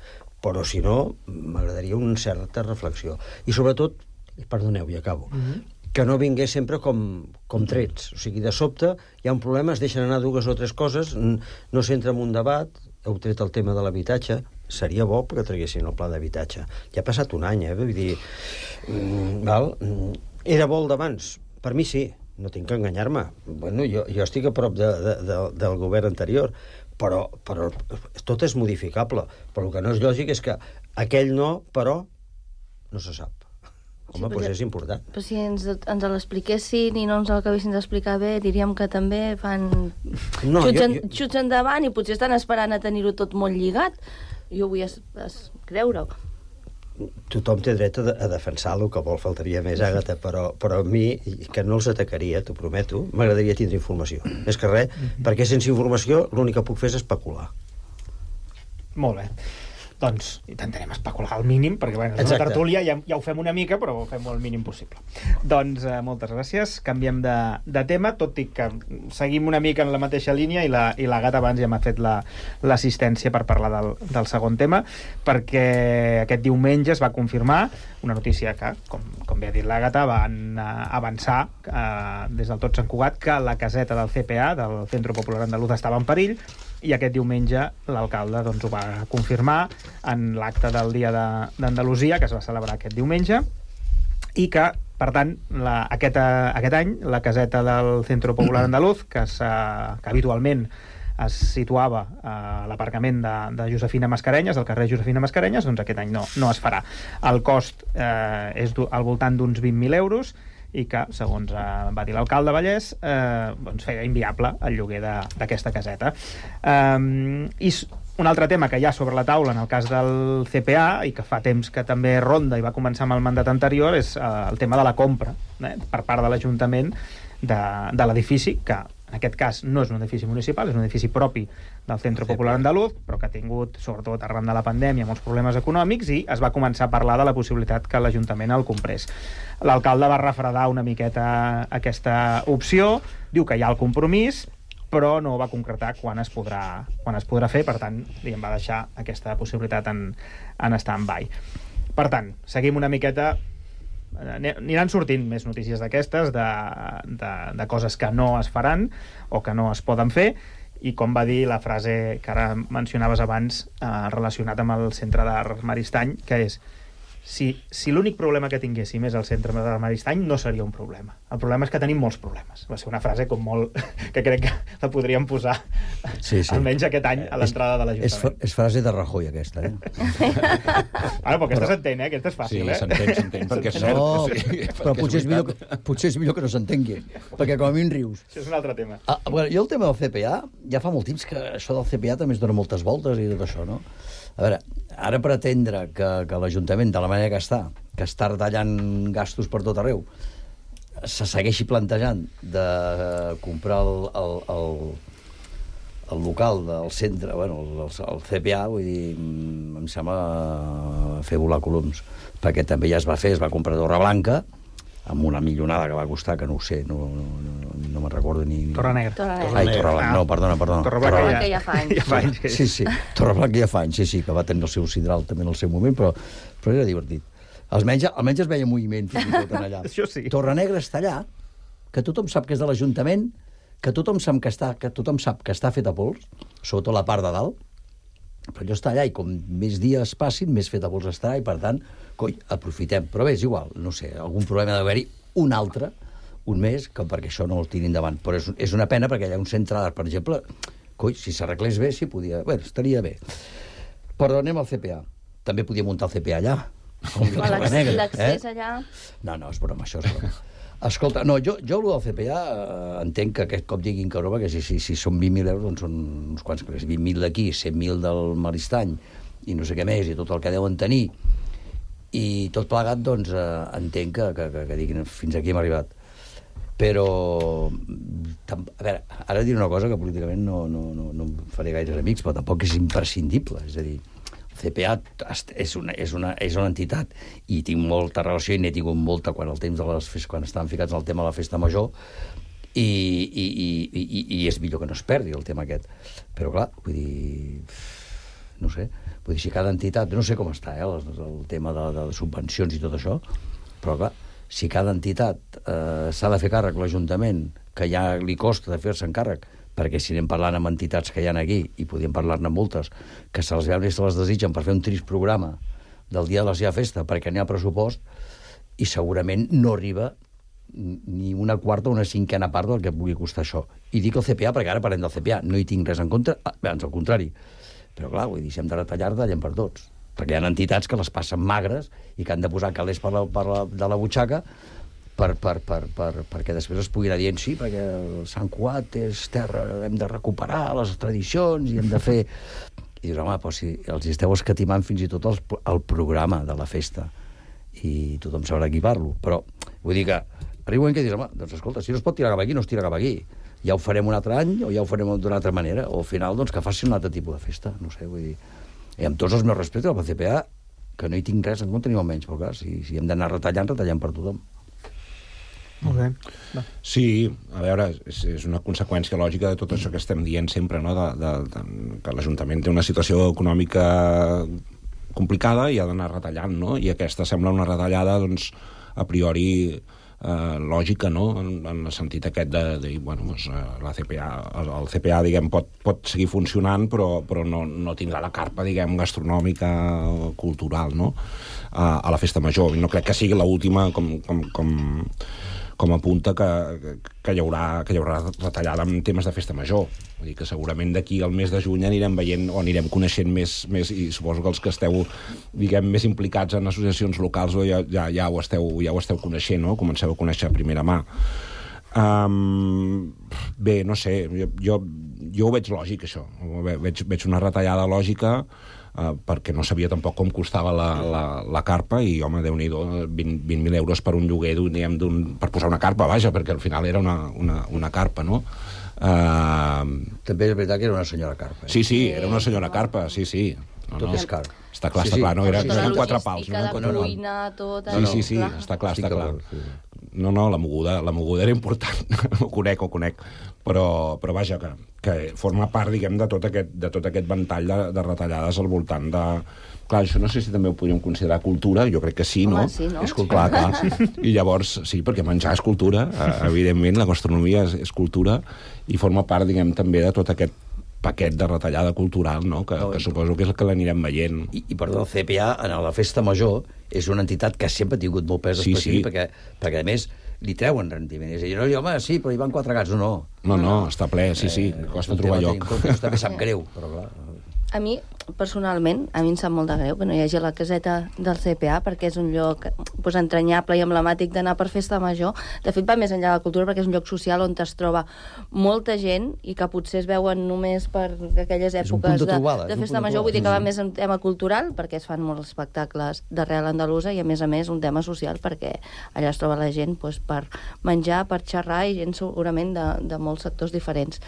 Però si no, m'agradaria una certa reflexió. I sobretot, perdoneu, i acabo, que no vingués sempre com trets. O sigui, de sobte hi ha un problema, es deixen anar 2 o 3 coses, no s'entra en un debat. Heu tret el tema de l'habitatge, seria bo que traguessin el pla d'habitatge. Ja ha passat un any, vull dir... Era bo el d'abans? Per mi sí, no tinc que enganyar-me. Bueno, jo estic a prop del govern anterior, però tot és modificable. Però el que no és lògic és que aquell no, però no se sap. Home, doncs és important. Però si ens l'expliquessin i no ens l'acabessin d'explicar bé, diríem que també fan xuts endavant i potser estan esperant a tenir-ho tot molt lligat. Jo vull creure-ho. Tothom té dret a defensar el que vol, faltaria més, Àgata, però a mi, que no els atacaria, t'ho prometo, m'agradaria tindre informació. Més que res, perquè sense informació l'únic que puc fer és especular. Molt bé. doncs intentarem especular al mínim, perquè bueno, és una tertúlia, ja ho fem una mica, però ho fem el mínim possible. Doncs moltes gràcies. Canviem de tema, tot i que seguim una mica en la mateixa línia i la Gata abans ja m'ha fet l'assistència per parlar del segon tema, perquè aquest diumenge es va confirmar una notícia que, com bé ha dit la Gata, van avançar des del Tot Sant Cugat que la caseta del CPA, del Centro Popular Andaluz, estava en perill, i aquest diumenge l'alcalde doncs, ho va confirmar en l'acte del Dia d'Andalusia, que es va celebrar aquest diumenge, i que, per tant, aquest any la caseta del Centro Popular Andaluz, que habitualment es situava a l'aparcament de Josefina Mascarenyes, del carrer Josefina Mascarenyes, doncs aquest any no es farà. El cost és al voltant d'uns 20.000 euros, i que, segons va dir l'alcalde Vallès, doncs feia inviable el lloguer d'aquesta caseta. I un altre tema que hi ha sobre la taula en el cas del CPA, i que fa temps que també ronda i va començar amb el mandat anterior, és el tema de la compra per part de l'Ajuntament de l'edifici, que en aquest cas no és un edifici municipal, és un edifici propi del Centro Popular Andaluz, però que ha tingut, sobretot arran de la pandèmia, molts problemes econòmics, i es va començar a parlar de la possibilitat que l'Ajuntament el comprés. L'alcalde va refredar una miqueta aquesta opció, diu que hi ha el compromís, però no va concretar quan es podrà fer, per tant, va deixar aquesta possibilitat en stand-by. Per tant, seguim una miqueta. Aniran sortint més notícies d'aquestes, de coses que no es faran o que no es poden fer, i com va dir la frase que ara mencionaves abans, relacionat amb el Centre d'Art Maristany, que és: si l'únic problema que tinguéssim és el Centre d'Art Maristany, no seria un problema. El problema és que tenim molts problemes. Va ser una frase com molt que crec que la podríem posar almenys aquest any a l'entrada de l'Ajuntament. És frase de Rajoy, aquesta, Bueno, però aquesta s'entén, aquesta és fàcil, Sí, s'entén, perquè és cert. No, però potser és millor que no s'entengui, perquè com a mi rius. Això és un altre tema. Jo el tema del CPA, ja fa molt temps que això del CPA també es dona moltes voltes i tot això, no? A veure, ara pretendre que l'Ajuntament, de la manera que està retallant gastos per tot arreu, se segueixi plantejant de comprar el local del centre, el CPA, vull dir, em sembla fer volar coloms, perquè també ja es va comprar Torreblanca, amb una millonada que va costar, que no ho sé, no me'n recordo ni... Torrenegra. Ai, Torreblanca, no, perdona. Torreblanca ja fa anys. Sí, Torreblanca ja fa anys, sí, que va tenir el seu sidral també en el seu moment, però era divertit. Almenys es veia moviment fins i tot en allà. Això sí. Torrenegra està allà, que tothom sap que és de l'Ajuntament, que tothom sap que està fet a pols, sobretot la part de dalt, però allò està allà i com més dies passin, més fet a pols estarà i, per tant, aprofitem. Però bé, és igual, no sé, algun problema d'haver-hi un altre, un més, que perquè això no el tiri endavant. Però és una pena perquè hi ha un centre d'art, per exemple, si s'arreglés bé, sí podia... Bé, estaria bé. Però anem al CPA. També podia muntar el CPA allà. L'accés allà... No, és broma, això és broma. Escolta, no, jo el del CPA entenc que aquest cop diguin que broma, que si són 20.000 euros, doncs són uns quants, 20.000 d'aquí, 100.000 del Maristany, i no sé què més, i tot el que deuen tenir, i tot plegat, doncs, entenc que diguin fins aquí hem arribat. Però, a veure, ara diré una cosa que políticament no em faré gaires amics, però tampoc és imprescindible, és a dir, CPA és una entitat i tinc molta relació i n'he tingut molta quan estaven ficats en el tema de la festa major i és millor que no es perdi el tema aquest. Però clar, vull dir, no sé, vull dir, si cada entitat, no sé com està el tema de subvencions i tot això, però clar, si cada entitat s'ha de fer càrrec l'Ajuntament, que ja li costa de fer-se'n càrrec, perquè si anem parlant amb entitats que hi ha aquí, i podíem parlar-ne amb moltes, que se les veuen i se les desitgen per fer un trist programa del dia de la seva festa, perquè n'hi ha pressupost, i segurament no arriba ni una quarta o una cinquena part del que pugui costar això. I dic el CPA perquè ara parlem del CPA, no hi tinc res en contra, ans al contrari. Però clar, vull dir, si hem de retallar, retallem per tots. Perquè hi ha entitats que les passen magres i que han de posar calés de la butxaca perquè després es pugui anar dient sí, perquè el Sant Cugat és terra, hem de recuperar les tradicions i hem de fer... I dius, home, però si els esteu escatimant fins i tot el programa de la festa i tothom sabrà qui parlo, però vull dir que arriba un que dius, home, doncs escolta, si no es pot tirar cap aquí, no es tira cap aquí. Ja ho farem un altre any o ja ho farem d'una altra manera, o al final doncs que faci un altre tipus de festa, no sé, vull dir... I amb tots els meus respectes al CPA, que no hi tinc res en compte ni almenys, però clar, si hem d'anar retallant, retallem per tothom. Molt bé. Sí, a veure, és una conseqüència lògica de tot això que estem dient sempre, no? Que l'Ajuntament té una situació econòmica complicada i ha d'anar retallant, no? I aquesta sembla una retallada, doncs, a priori lògica, no? En el sentit aquest de dir, bueno, doncs, el CPA, diguem, pot seguir funcionant, però no tindrà la carpa, diguem, gastronòmica o cultural, no? A la festa major. I no crec que sigui l'última com apunta que hi haurà retallada en temes de festa major. Vull dir que segurament d'aquí al mes de juny anirem veient o anirem coneixent més i suposo que els que esteu, diguem, més implicats en associacions locals ja ho esteu coneixent, no? Comenceu a conèixer a primera mà. Bé, no sé, jo ho veig lògic, això. Veig una retallada lògica perquè no sabia tampoc com costava la carpa i, home, Déu-n'hi-do, 20.000 euros per un lloguer, per posar una carpa, vaja, perquè al final era una carpa, no? També és veritat que era una senyora carpa. Sí, era una senyora carpa, sí. Tot és car. Està clar, no? Eren 4 pals. La cuina, tot... Sí, està clar. No, la moguda era important, ho conec. Però vaja, que forma part, diguem, de tot aquest ventall de retallades al voltant de... Clar, això no sé si també ho podríem considerar cultura, jo crec que sí, no? Home, sí, no? És cultura, clar. I llavors, sí, perquè menjar és cultura, evidentment, la gastronomia és cultura, i forma part, diguem, també de tot aquest paquet de retallada cultural, no? Que suposo que és el que l'anirem veient. I perdó, el CPA, en la festa major, és una entitat que sempre ha tingut molt pes específic, perquè a més li treuen rendiment. És a dir, no, home, sí, però hi van 4 gats, no. No, està ple, sí, costa trobar lloc. Això també sap greu, però clar... A mi, personalment, em sap molt de greu que no hi hagi la caseta del CPA, perquè és un lloc entranyable i emblemàtic d'anar per festa major. De fet, va més enllà de la cultura, perquè és un lloc social on es troba molta gent i que potser es veuen només per aquelles èpoques de festa major. Vull dir que va més un tema cultural, perquè es fan molts espectacles d'arrel andalusa, i a més un tema social, perquè allà es troba la gent per menjar, per xerrar, i gent segurament de molts sectors diferents.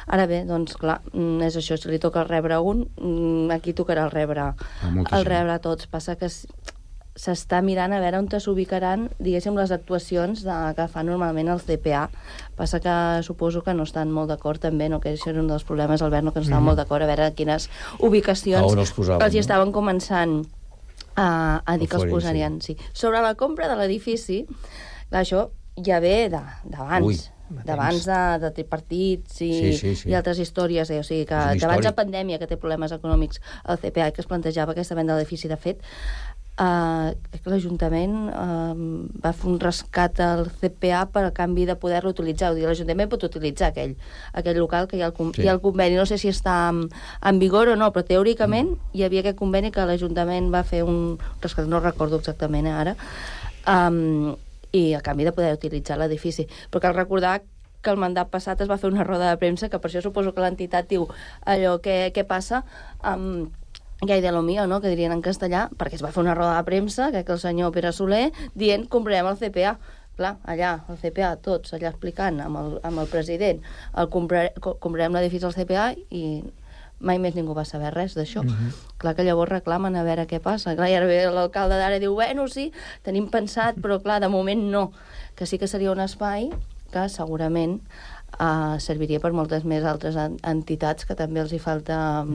Ara bé, doncs clar, és això, si li toca rebre un, aquí tocarà el rebre a tots. Passa que s'està mirant a veure on s'ubicaran, diguéssim, les actuacions que fa normalment el CPA. Passa que suposo que no estan molt d'acord també, no? Que això era un dels problemes, Albert, no? Que no estaven molt d'acord a veure quines ubicacions els hi estaven començant a dir que els posarien. Sí. Sobre la compra de l'edifici, clar, això ja ve d'abans. D'abans de tripartits i altres històries, o sigui, que d'abans de pandèmia, que té problemes econòmics el CPA, que es plantejava aquesta venda de l'edifici. De fet, l'Ajuntament va fer un rescat al CPA per a canvi de poder-lo utilitzar. O sigui, l'Ajuntament pot utilitzar aquell local que hi ha el conveni. No sé si està en vigor o no, però teòricament hi havia aquest conveni que l'Ajuntament va fer un rescat, no recordo exactament ara, i a canvi de poder utilitzar l'edifici. Però cal recordar que el mandat passat es va fer una roda de premsa, que per això suposo que l'entitat diu allò què passa amb que hay de lo mío, no? Que dirien en castellà, perquè es va fer una roda de premsa, que el senyor Pere Soler, dient comprarem el CPA. Clar, allà, el CPA, tots allà explicant amb el president, comprarem l'edifici al CPA, i mai més ningú va saber res d'això. Clar que llavors reclamen a veure què passa. Clar, i ara ve l'alcalde d'ara i diu, bueno, sí, tenim pensat, però clar, de moment no. Que sí que seria un espai que segurament serviria per moltes més altres entitats que també els hi falta,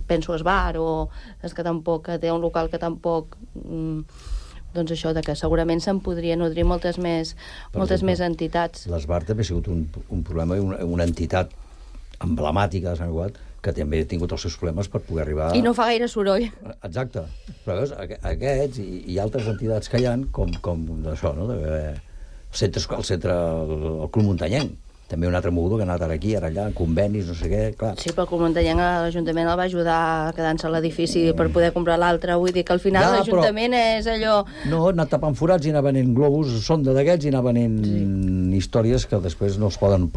penso, esbar, o és que tampoc, que té un local que tampoc... doncs això, que segurament se'n podria nodrir moltes més entitats. L'Esbar també ha sigut un problema, una entitat emblemàtica de Sant Cugat, que també ha tingut els seus problemes per poder arribar... I no fa gaire soroll. Exacte. Però veus, aquests i altres entitats que hi ha, com d'això, no? El Club Muntanyenc, també un altre mogudo que ha anat ara aquí, ara allà, convenis, no sé què, clar. Sí, però el Club Muntanyenc, l'Ajuntament el va ajudar a quedar-se a l'edifici per poder comprar l'altre. Vull dir que al final l'Ajuntament és allò... No, ha anat tapant forats i anar venent globus, sonda d'aquests, i anar venent històries que després no es poden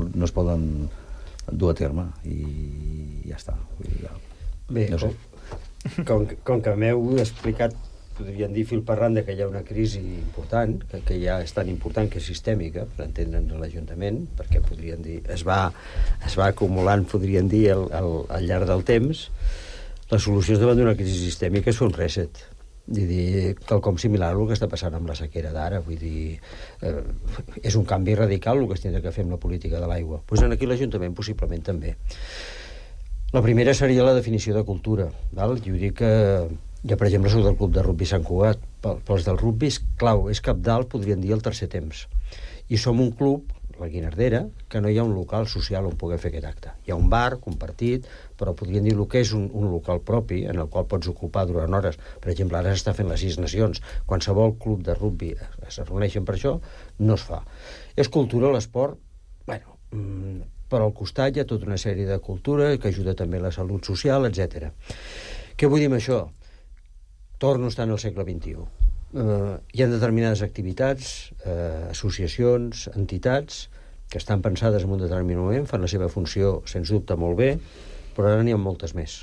dur a terme, i ja està. Bé, no sé. Com que m'heu explicat, podríem dir fil per randa, que hi ha una crisi important, que ja és tan important que és sistèmica, per entendre'ns a l'Ajuntament, perquè podríem dir, es va acumulant, podríem dir, al llarg del temps. Les solucions davant d'una crisi sistèmica és fer un reset. Vull dir, quelcom similar al que està passant amb la sequera d'ara. Vull dir, és un canvi radical el que es tindrà que fer amb la política de l'aigua. Doncs aquí l'Ajuntament possiblement també. La primera seria la definició de cultura. Val? Jo dic que ja, per exemple, soc del club de rugby Sant Cugat. Pels del rugby, clau, és cabdal, podríem dir, el tercer temps. I som un club, la Guinardera, que no hi ha un local social on poder fer aquest acte. Hi ha un bar compartit, però podríem dir el que és un local propi en el qual pots ocupar durant hores. Per exemple, ara s'està fent les 6 Nacions. Qualsevol club de rugby es reuneixen per això, no es fa. És cultura, l'esport, bueno, però al costat hi ha tota una sèrie de cultura que ajuda també a la salut social, etc. Què vull dir amb això? Torno a estar en el segle XXI. Hi ha determinades activitats, associacions, entitats, que estan pensades en un determinat moment, fan la seva funció, sens dubte, molt bé, però ara n'hi ha moltes més.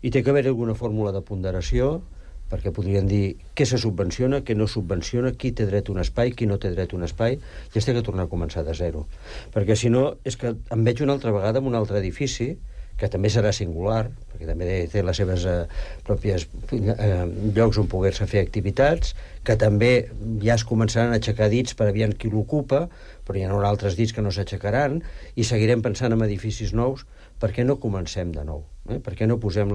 I té que haver alguna fórmula de ponderació, perquè podrien dir què se subvenciona, què no subvenciona, qui té dret a un espai, qui no té dret a un espai, i es té que tornar a començar de zero. Perquè si no, és que em veig una altra vegada en un altre edifici, que també serà singular, perquè també té les seves pròpies llocs on poder-se fer activitats, que també ja es començaran a aixecar dits per aviam qui l'ocupa, però hi ha altres dits que no s'aixecaran, i seguirem pensant en edificis nous. Per què no comencem de nou? Per què no posem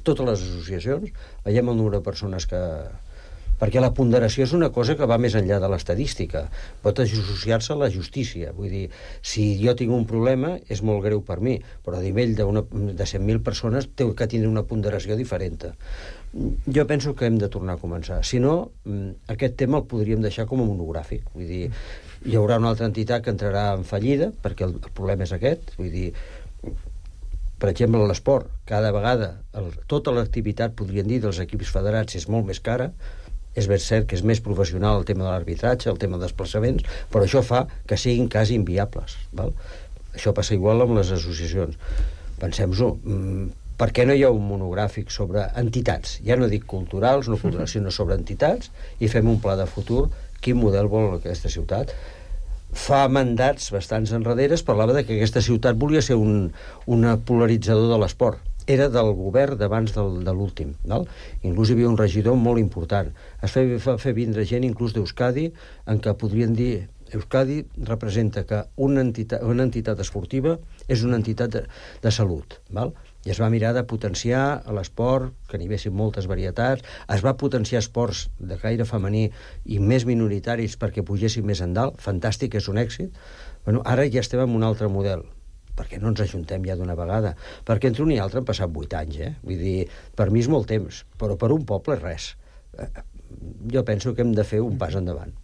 totes les associacions, veiem el número de persones que... Perquè la ponderació és una cosa que va més enllà de l'estadística. Pot associar-se a la justícia. Vull dir, si jo tinc un problema, és molt greu per mi, però a nivell de 100.000 persones té que tindre una ponderació diferent. Jo penso que hem de tornar a començar. Si no, aquest tema el podríem deixar com a monogràfic. Vull dir, hi haurà una altra entitat que entrarà en fallida, perquè el problema és aquest. Vull dir, per exemple, l'esport. Cada vegada, tota l'activitat, podríem dir, dels equips federats és molt més cara. És ben cert que és més professional el tema de l'arbitratge, el tema dels desplaçaments, però això fa que siguin quasi inviables. Val? Això passa igual amb les associacions. Pensem-ho, per què no hi ha un monogràfic sobre entitats? Ja no dic culturals, no culturals, sinó sobre entitats, i fem un pla de futur, quin model vol aquesta ciutat? Fa mandats bastants enrederes parlava de que aquesta ciutat volia ser un polaritzador de l'esport. Era del govern d'abans de l'últim. Inclús hi havia un regidor molt important. Es va fer vindre gent inclús d'Euskadi, en què podrien dir Euskadi representa que una entitat esportiva és una entitat de salut. I es va mirar de potenciar l'esport, que n'hi haguessin moltes varietats, es va potenciar esports de caire femení i més minoritaris perquè pugessin més endalt. Fantàstic, és un èxit. Ara ja estem en un altre model. Per què no ens ajuntem ja d'una vegada? Perquè entre un i altre han passat 8 anys, Vull dir, per mi és molt temps, però per un poble és res. Jo penso que hem de fer un pas endavant.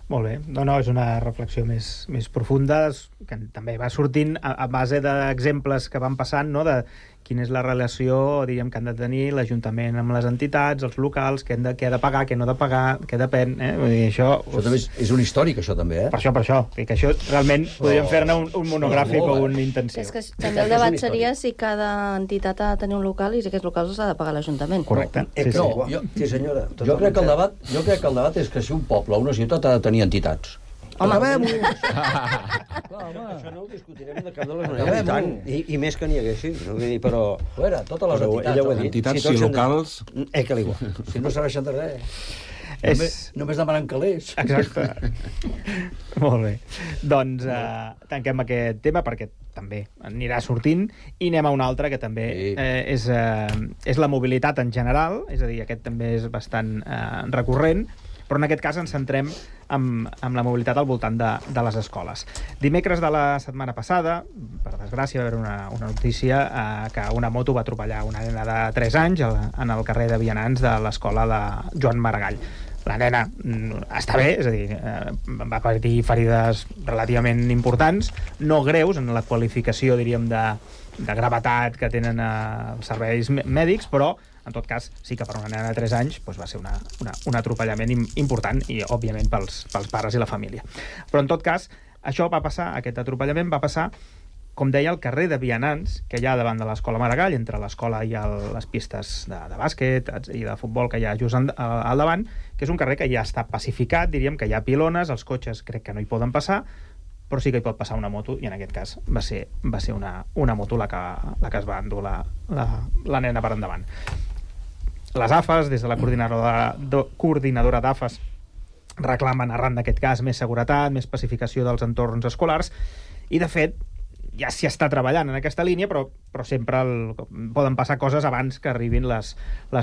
Molt bé. No, és una reflexió més profunda, que també va sortint a base d'exemples que van passant, no?, de quina és la relació, diríem, que han de tenir l'Ajuntament amb les entitats, els locals, què ha de pagar, què no ha de pagar, què depèn, Vull dir, això també és un històric, això també, Per això. Que això realment podríem fer-ne un monogràfic o un intensiu. És que també el debat seria si cada entitat ha de tenir un local i si aquests locals els ha de pagar l'Ajuntament. Correcte. Sí, senyora. Jo crec que el debat és que si un poble o una ciutat ha de tenir entitats. Home, això no ho discutirem de cap de les maneres. I més que n'hi haguessin. Però... totes les entitats. Entitats i locals... Que l'igual. Si no serveixen de res. Només demanen calés. Exacte. Molt bé. Doncs tanquem aquest tema perquè també anirà sortint i anem a un altre que també és la mobilitat en general, és a dir, aquest també és bastant recurrent, però en aquest cas ens centrem amb la mobilitat al voltant de les escoles. Dimecres de la setmana passada, per desgràcia, va haver una notícia que una moto va atropellar una nena de 3 anys en el carrer de Vianants de l'escola de Joan Maragall. La nena està bé, és a dir, va patir ferides relativament importants, no greus en la qualificació, diríem, de gravetat que tenen els serveis mèdics, però en tot cas, sí que per una nena de 3 anys va ser un atropellament important i, òbviament, pels pares i la família. Però, en tot cas, aquest atropellament va passar, com deia, al carrer de Vianants, que hi ha davant de l'escola Maragall, entre l'escola i les pistes de bàsquet i de futbol que hi ha just al davant, que és un carrer que ja està pacificat, diríem que hi ha pilones, els cotxes crec que no hi poden passar, però sí que hi pot passar una moto, i en aquest cas va ser una moto la que es va endur la nena per endavant. Les AFAs, des de la coordinadora d'AFAs, reclamen, arran d'aquest cas, més seguretat, més pacificació dels entorns escolars, i de fet ja s'hi està treballant en aquesta línia, però sempre poden passar coses abans que arribin les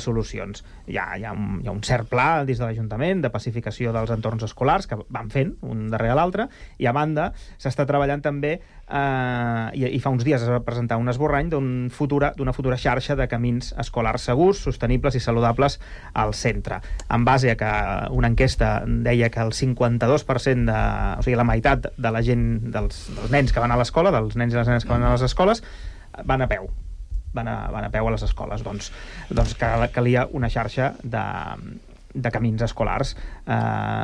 solucions. Hi ha un cert pla des de l'Ajuntament de pacificació dels entorns escolars que van fent un darrere l'altre, i a banda s'està treballant també i fa uns dies es va presentar un esborrany d'una futura xarxa de camins escolars segurs, sostenibles i saludables al centre, en base a que una enquesta deia que el 52%, o sigui, la meitat de la gent, dels nens que van a l'escola, dels nens i les nenes que van a les escoles, van a peu. Van a peu a les escoles. Doncs calia una xarxa de camins escolars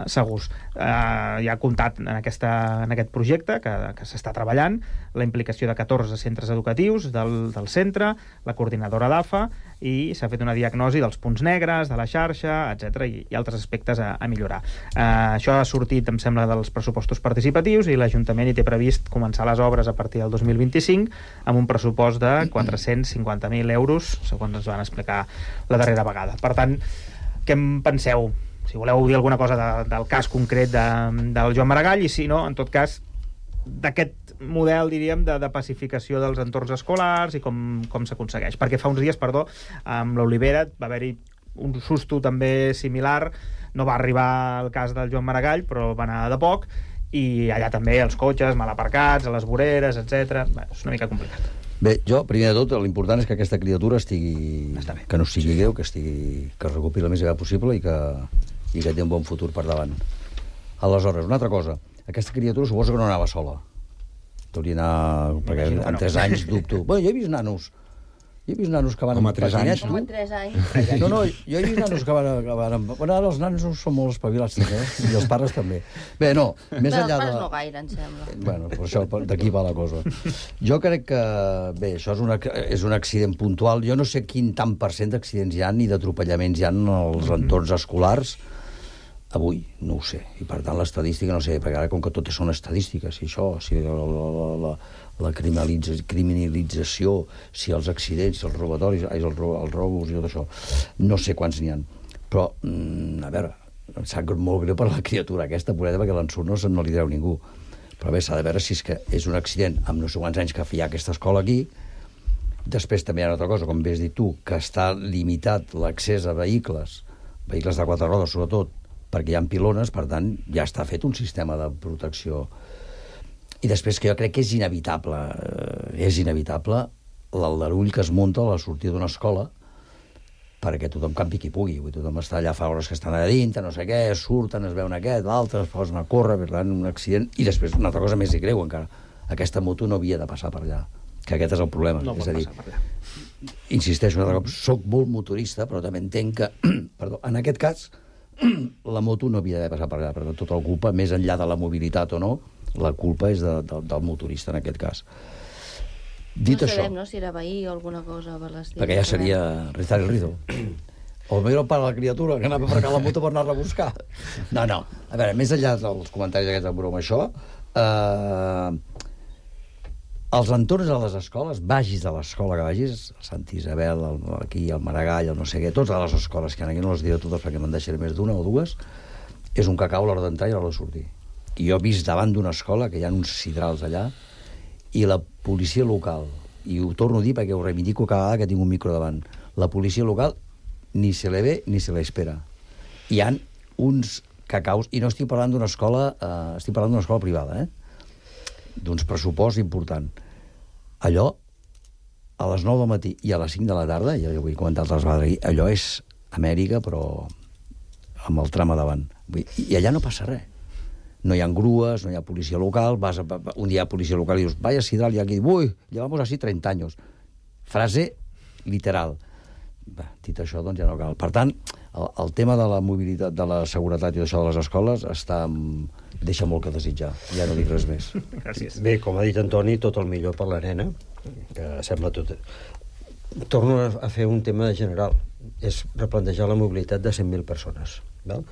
segurs. Ja ha comptat en aquest projecte que s'està treballant la implicació de 14 centres educatius del centre, la coordinadora d'AFA, i s'ha fet una diagnosi dels punts negres, de la xarxa, etc i altres aspectes a millorar. Això ha sortit, em sembla, dels pressupostos participatius, i l'Ajuntament hi té previst començar les obres a partir del 2025 amb un pressupost de 450.000 euros, segons ens van explicar la darrera vegada. Per tant, què en penseu? Si voleu dir alguna cosa del cas concret del Joan Maragall, i si no, en tot cas, d'aquest model, diríem, de pacificació dels entorns escolars i com s'aconsegueix. Perquè fa uns dies, amb l'Olivera va haver-hi un susto també similar. No va arribar el cas del Joan Maragall, però va anar de poc, i allà també els cotxes mal aparcats, a les voreres, etc. És una mica complicat. Bé, jo, primer de tot, l'important és que aquesta criatura estigui... que no sigui greu, que es recuperi el més aviat possible i que té un bon futur per davant. Aleshores, una altra cosa. Aquesta criatura suposo que no anava sola. Hauria d'anar... perquè en 3 anys dubto. Bé, jo he vist nanos que van... Com a 3 anys? Com a 3 anys. No, jo he vist nanos que van... Bueno, ara els nanos són molt espavilats, també, i els pares també. Bé, no, més enllà de... Els pares no gaire, em sembla. Bueno, per això, d'aquí va la cosa. Jo crec que, bé, això és un accident puntual. Jo no sé quin tant % d'accidents hi ha ni d'atropellaments hi ha als entorns escolars. Avui, no ho sé. I, per tant, l'estadística no sé, perquè ara, com que totes són estadístiques, si això, si la criminalització, si els accidents, si els robatoris, els robos i tot això, no sé quants n'hi ha. Però, a veure, em sap molt greu per la criatura aquesta, pobreta, perquè l'ensurt no li treu ningú. Però bé, s'ha de veure si és un accident amb no sé quants anys que hi ha aquesta escola aquí. Després també hi ha una altra cosa, com bé has dit tu, que està limitat l'accés a vehicles de 4 rodes, sobretot, perquè hi ha pilones, per tant, ja està fet un sistema de protecció. I després que jo crec que és inevitable l'aldarull que es munta a la sortida d'una escola perquè tothom campi qui pugui. Tothom està allà, fa hores que estan allà dintre, no sé què, surten, es veuen aquest, l'altre, es posen a córrer, per tant, un accident. I després, una altra cosa més greu encara, aquesta moto no havia de passar per allà, que aquest és el problema. No pot passar per allà. Insisteixo, un altre cop, soc molt motorista, però també entenc que, perdó, en aquest cas, la moto no havia d'haver passat per allà, però tota la culpa, més enllà de la mobilitat o no, la culpa és del motorista en aquest cas. Dit no això... sabem, no?, si era veí o alguna cosa per l'estil. Perquè ja seria rizar el rizo. O el pare de la criatura, que anava a aparcar la moto per anar-la a buscar. No. A veure, més enllà dels comentaris aquests de broma, això... Els entorns de les escoles, vagis de l'escola que vagis, Sant Isabel, aquí, el Maragall, el no sé què, totes les escoles que aquí no les diré totes perquè me'n deixaré més d'una o dues, és un cacau a l'hora d'entrar i a l'hora de sortir. I jo he vist davant d'una escola, que hi ha uns sidrals allà, i la policia local, i ho torno a dir perquè ho reivindico cada vegada que tinc un micro davant, la policia local ni se le ve ni se le espera. Hi ha uns cacaus, i no estic parlant d'una escola, estic parlant d'una escola privada, d'uns pressupost important. Allò, a les 9 del matí i a les 5 de la tarda, ja ho he comentat altres vegades, allò és Amèrica, però amb el tram a davant. I allà no passa res. No hi ha grues, no hi ha policia local, un dia hi ha policia local i dius, vaya sidral, i aquí, ui, llevamos así 30 años. Frase literal. Dit això, doncs ja no cal. Per tant, el tema de la mobilitat, de la seguretat i d'això de les escoles deixa molt que desitjar. Ja no dic res més. Gràcies. Bé, com ha dit Antoni, tot el millor per la nena, que sembla tot... Torno a fer un tema general. És replantejar la mobilitat de 100.000 persones. Val?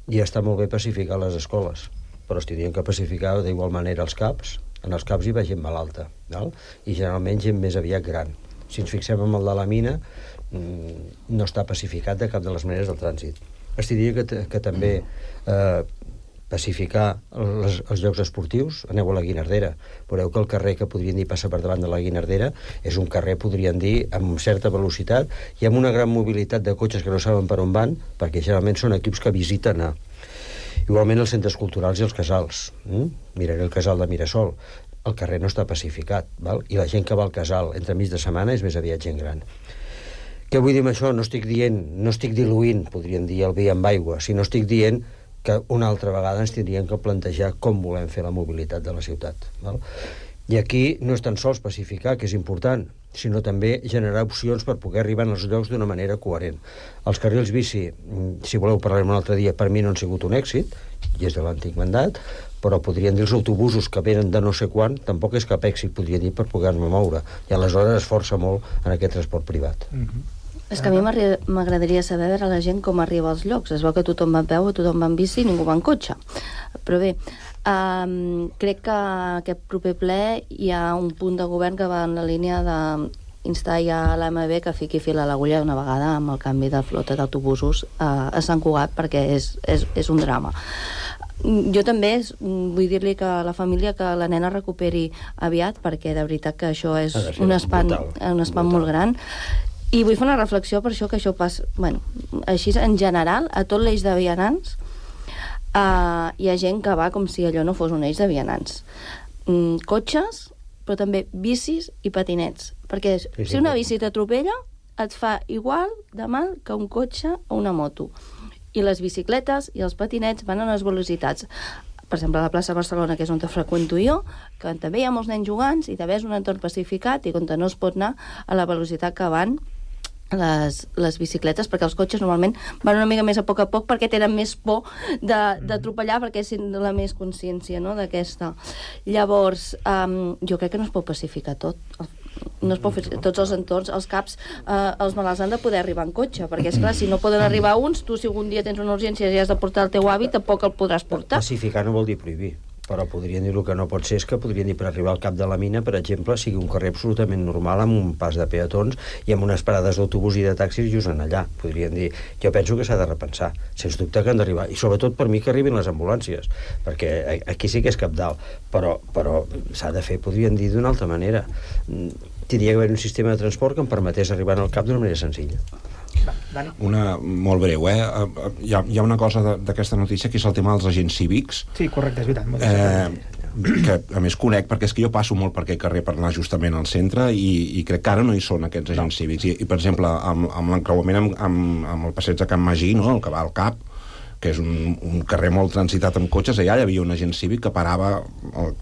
I està molt bé pacificar les escoles, però es tindrien que pacificar d'igual manera els CAPs. En els CAPs hi va gent malalta, val? I generalment gent més aviat gran. Si ens fixem en el de la mina, no està pacificat de cap de les maneres del trànsit. Es diria que també pacificar els llocs esportius. Aneu a la Guinardera, veureu que el carrer que podrien dir passa per davant de la Guinardera és un carrer, podrien dir, amb certa velocitat i amb una gran mobilitat de cotxes que no saben per on van, perquè generalment són equips que visiten igualment els centres culturals i els casals. Miraré el casal de Mirasol. El carrer no està pacificat, val? I la gent que va al casal entre mig de setmana és més aviat gent gran. Què vull dir amb això? No estic diluint, podríem dir, el vi amb aigua, sinó estic dient que una altra vegada ens tindríem que plantejar com volem fer la mobilitat de la ciutat. Val? I aquí no és tan sols pacificar, que és important, sinó també generar opcions per poder arribar als llocs d'una manera coherent. Els carrils bici, si voleu parlar un altre dia, per mi no han sigut un èxit, i és de l'antic mandat, però podrien dir els autobusos que venen de no sé quan, tampoc és cap èxit, podria dir, per poder-me moure. I aleshores es força molt en aquest transport privat. És que a mi m'agradaria saber veure la gent com arriba als llocs. Es veu que tothom va a peu, tothom va en bici i ningú va en cotxe. Però bé, crec que aquest proper ple hi ha un punt de govern que va en la línia d'instar ja a l'AMB que fiqui fil a l'agulla una vegada amb el canvi de flota d'autobusos a Sant Cugat, perquè és un drama. Jo també vull dir-li que a la família que la nena recuperi aviat, perquè de veritat que això és un espant molt gran. I vull fer una reflexió per això, que això passa, bueno, així en general, a tot l'eix de vianants hi ha gent que va com si allò no fos un eix de vianants. Cotxes, però també bicis i patinets, perquè si una bici t'atropella et fa igual de mal que un cotxe o una moto. I les bicicletes i els patinets van a les velocitats. Per exemple, a la plaça Barcelona, que és on freqüento jo, que també hi ha molts nens jugants i també és un entorn pacificat i on no es pot anar a la velocitat que van les bicicletes, perquè els cotxes normalment van una mica més a poc perquè tenen més por d'atropellar, perquè és la més consciència, no?, d'aquesta. Llavors, jo crec que no es pot pacificar tot. No es pot fer tots els entorns, els CAPs, els malalts han de poder arribar en cotxe, perquè és clar, si no poden arribar uns, tu si algun dia tens una urgència i has de portar el teu avi, tampoc el podràs portar. Pacificar no vol dir prohibir, però podrien dir el que no pot ser és que podrien dir per arribar al cap de la mina, per exemple, sigui un carrer absolutament normal amb un pas de peatons i amb unes parades d'autobús i de taxis just en allà. Podrien dir, jo penso que s'ha de repensar, sens dubte que han d'arribar, i sobretot per mi que arribin les ambulàncies, perquè aquí sí que és cabdal, però s'ha de fer, podrien dir d'una altra manera. Tindria que haver un sistema de transport que em permetés arribar al cap d'una manera senzilla. Una molt breu, hi ha una cosa d'aquesta notícia que és el tema dels agents cívics. Sí, correcte, és veritat. Que a més conec, perquè és que jo passo molt per aquest carrer per anar justament al centre i crec que ara no hi són aquests agents cívics. I per exemple, amb l'encreuament amb el passeig de Can Magí, no?, el que va al CAP, que és un carrer molt transitat amb cotxes, allà hi havia un agent cívic que parava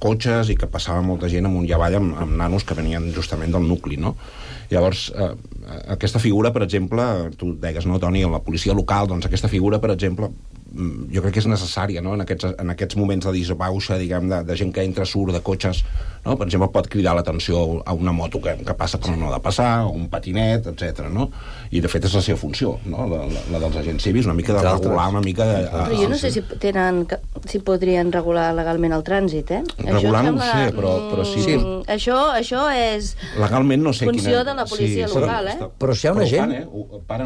cotxes i que passava molta gent amunt i avall amb nanos que venien justament del nucli, no? Llavors, aquesta figura, per exemple, tu deies, no, Toni, la policia local, doncs aquesta figura, per exemple, jo crec que és necessària, no?, en aquests moments de disbauxa, diguem, de gent que entra, surt, de cotxes, no?, per exemple, pot cridar l'atenció a una moto que passa per on no ha de passar, o un patinet, etc. no? I, de fet, és la seva funció, no?, la dels agents cívics, una mica de regular, una mica de... Però jo no sé si podrien regular legalment el trànsit, Regular no ho sé, però sí. Això és legalment no sé funció de la policia local, Però si hi ha una gent...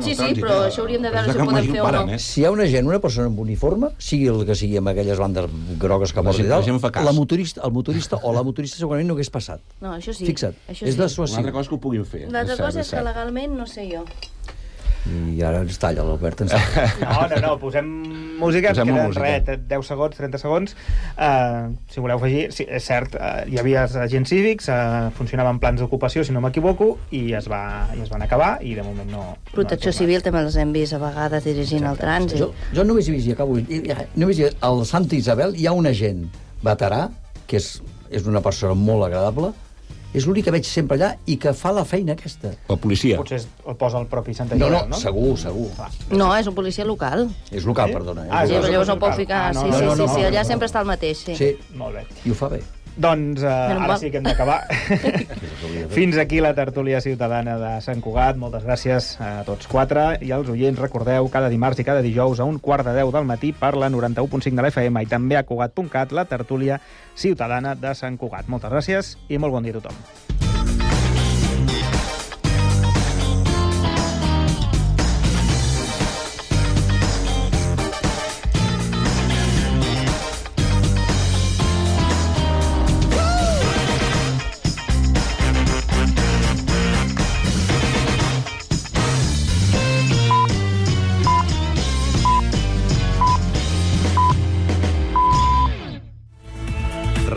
Sí, però això hauríem de veure si ho podem fer o no. Si hi ha una gent, una persona amb uniforme, sigui el que sigui amb aquelles bandes grogues que porta i tal, el motorista o la motorista segurament no hagués passat. No, això sí. Fixa't, és de suació. Una altra cosa que ho puguin fer. L'altra cosa és que legalment no sé jo. I ara ens talla l'Albert. No, posem música, queden res, 10 segons, 30 segons. Si voleu afegir, sí, és cert, hi havia agents cívics, funcionaven plans d'ocupació, si no m'equivoco, i es van acabar, i de moment no... Protecció civil també els hem vist a vegades dirigint el trànsit. Jo només he vist, i acabo, només he vist al Santa Isabel, hi ha un agent veterà, que és una persona molt agradable, és l'únic que veig sempre allà i que fa la feina aquesta. La policia. Potser el posa el propi Santa Isabel, no? Segur. No, és un policia local. És local, perdona. Llavors no pot ficar... Sí, allà sempre està el mateix, sí. Sí, molt bé. I ho fa bé. Doncs ara sí que hem d'acabar. Fins aquí la tertúlia ciutadana de Sant Cugat. Moltes gràcies a tots quatre. I als oients, recordeu, cada dimarts i cada dijous a 9:45 del matí per la 91.5 de la FM i també a Cugat.cat, la tertúlia ciutadana de Sant Cugat. Moltes gràcies i molt bon dia a tothom.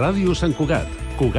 Ràdio Sant Cugat,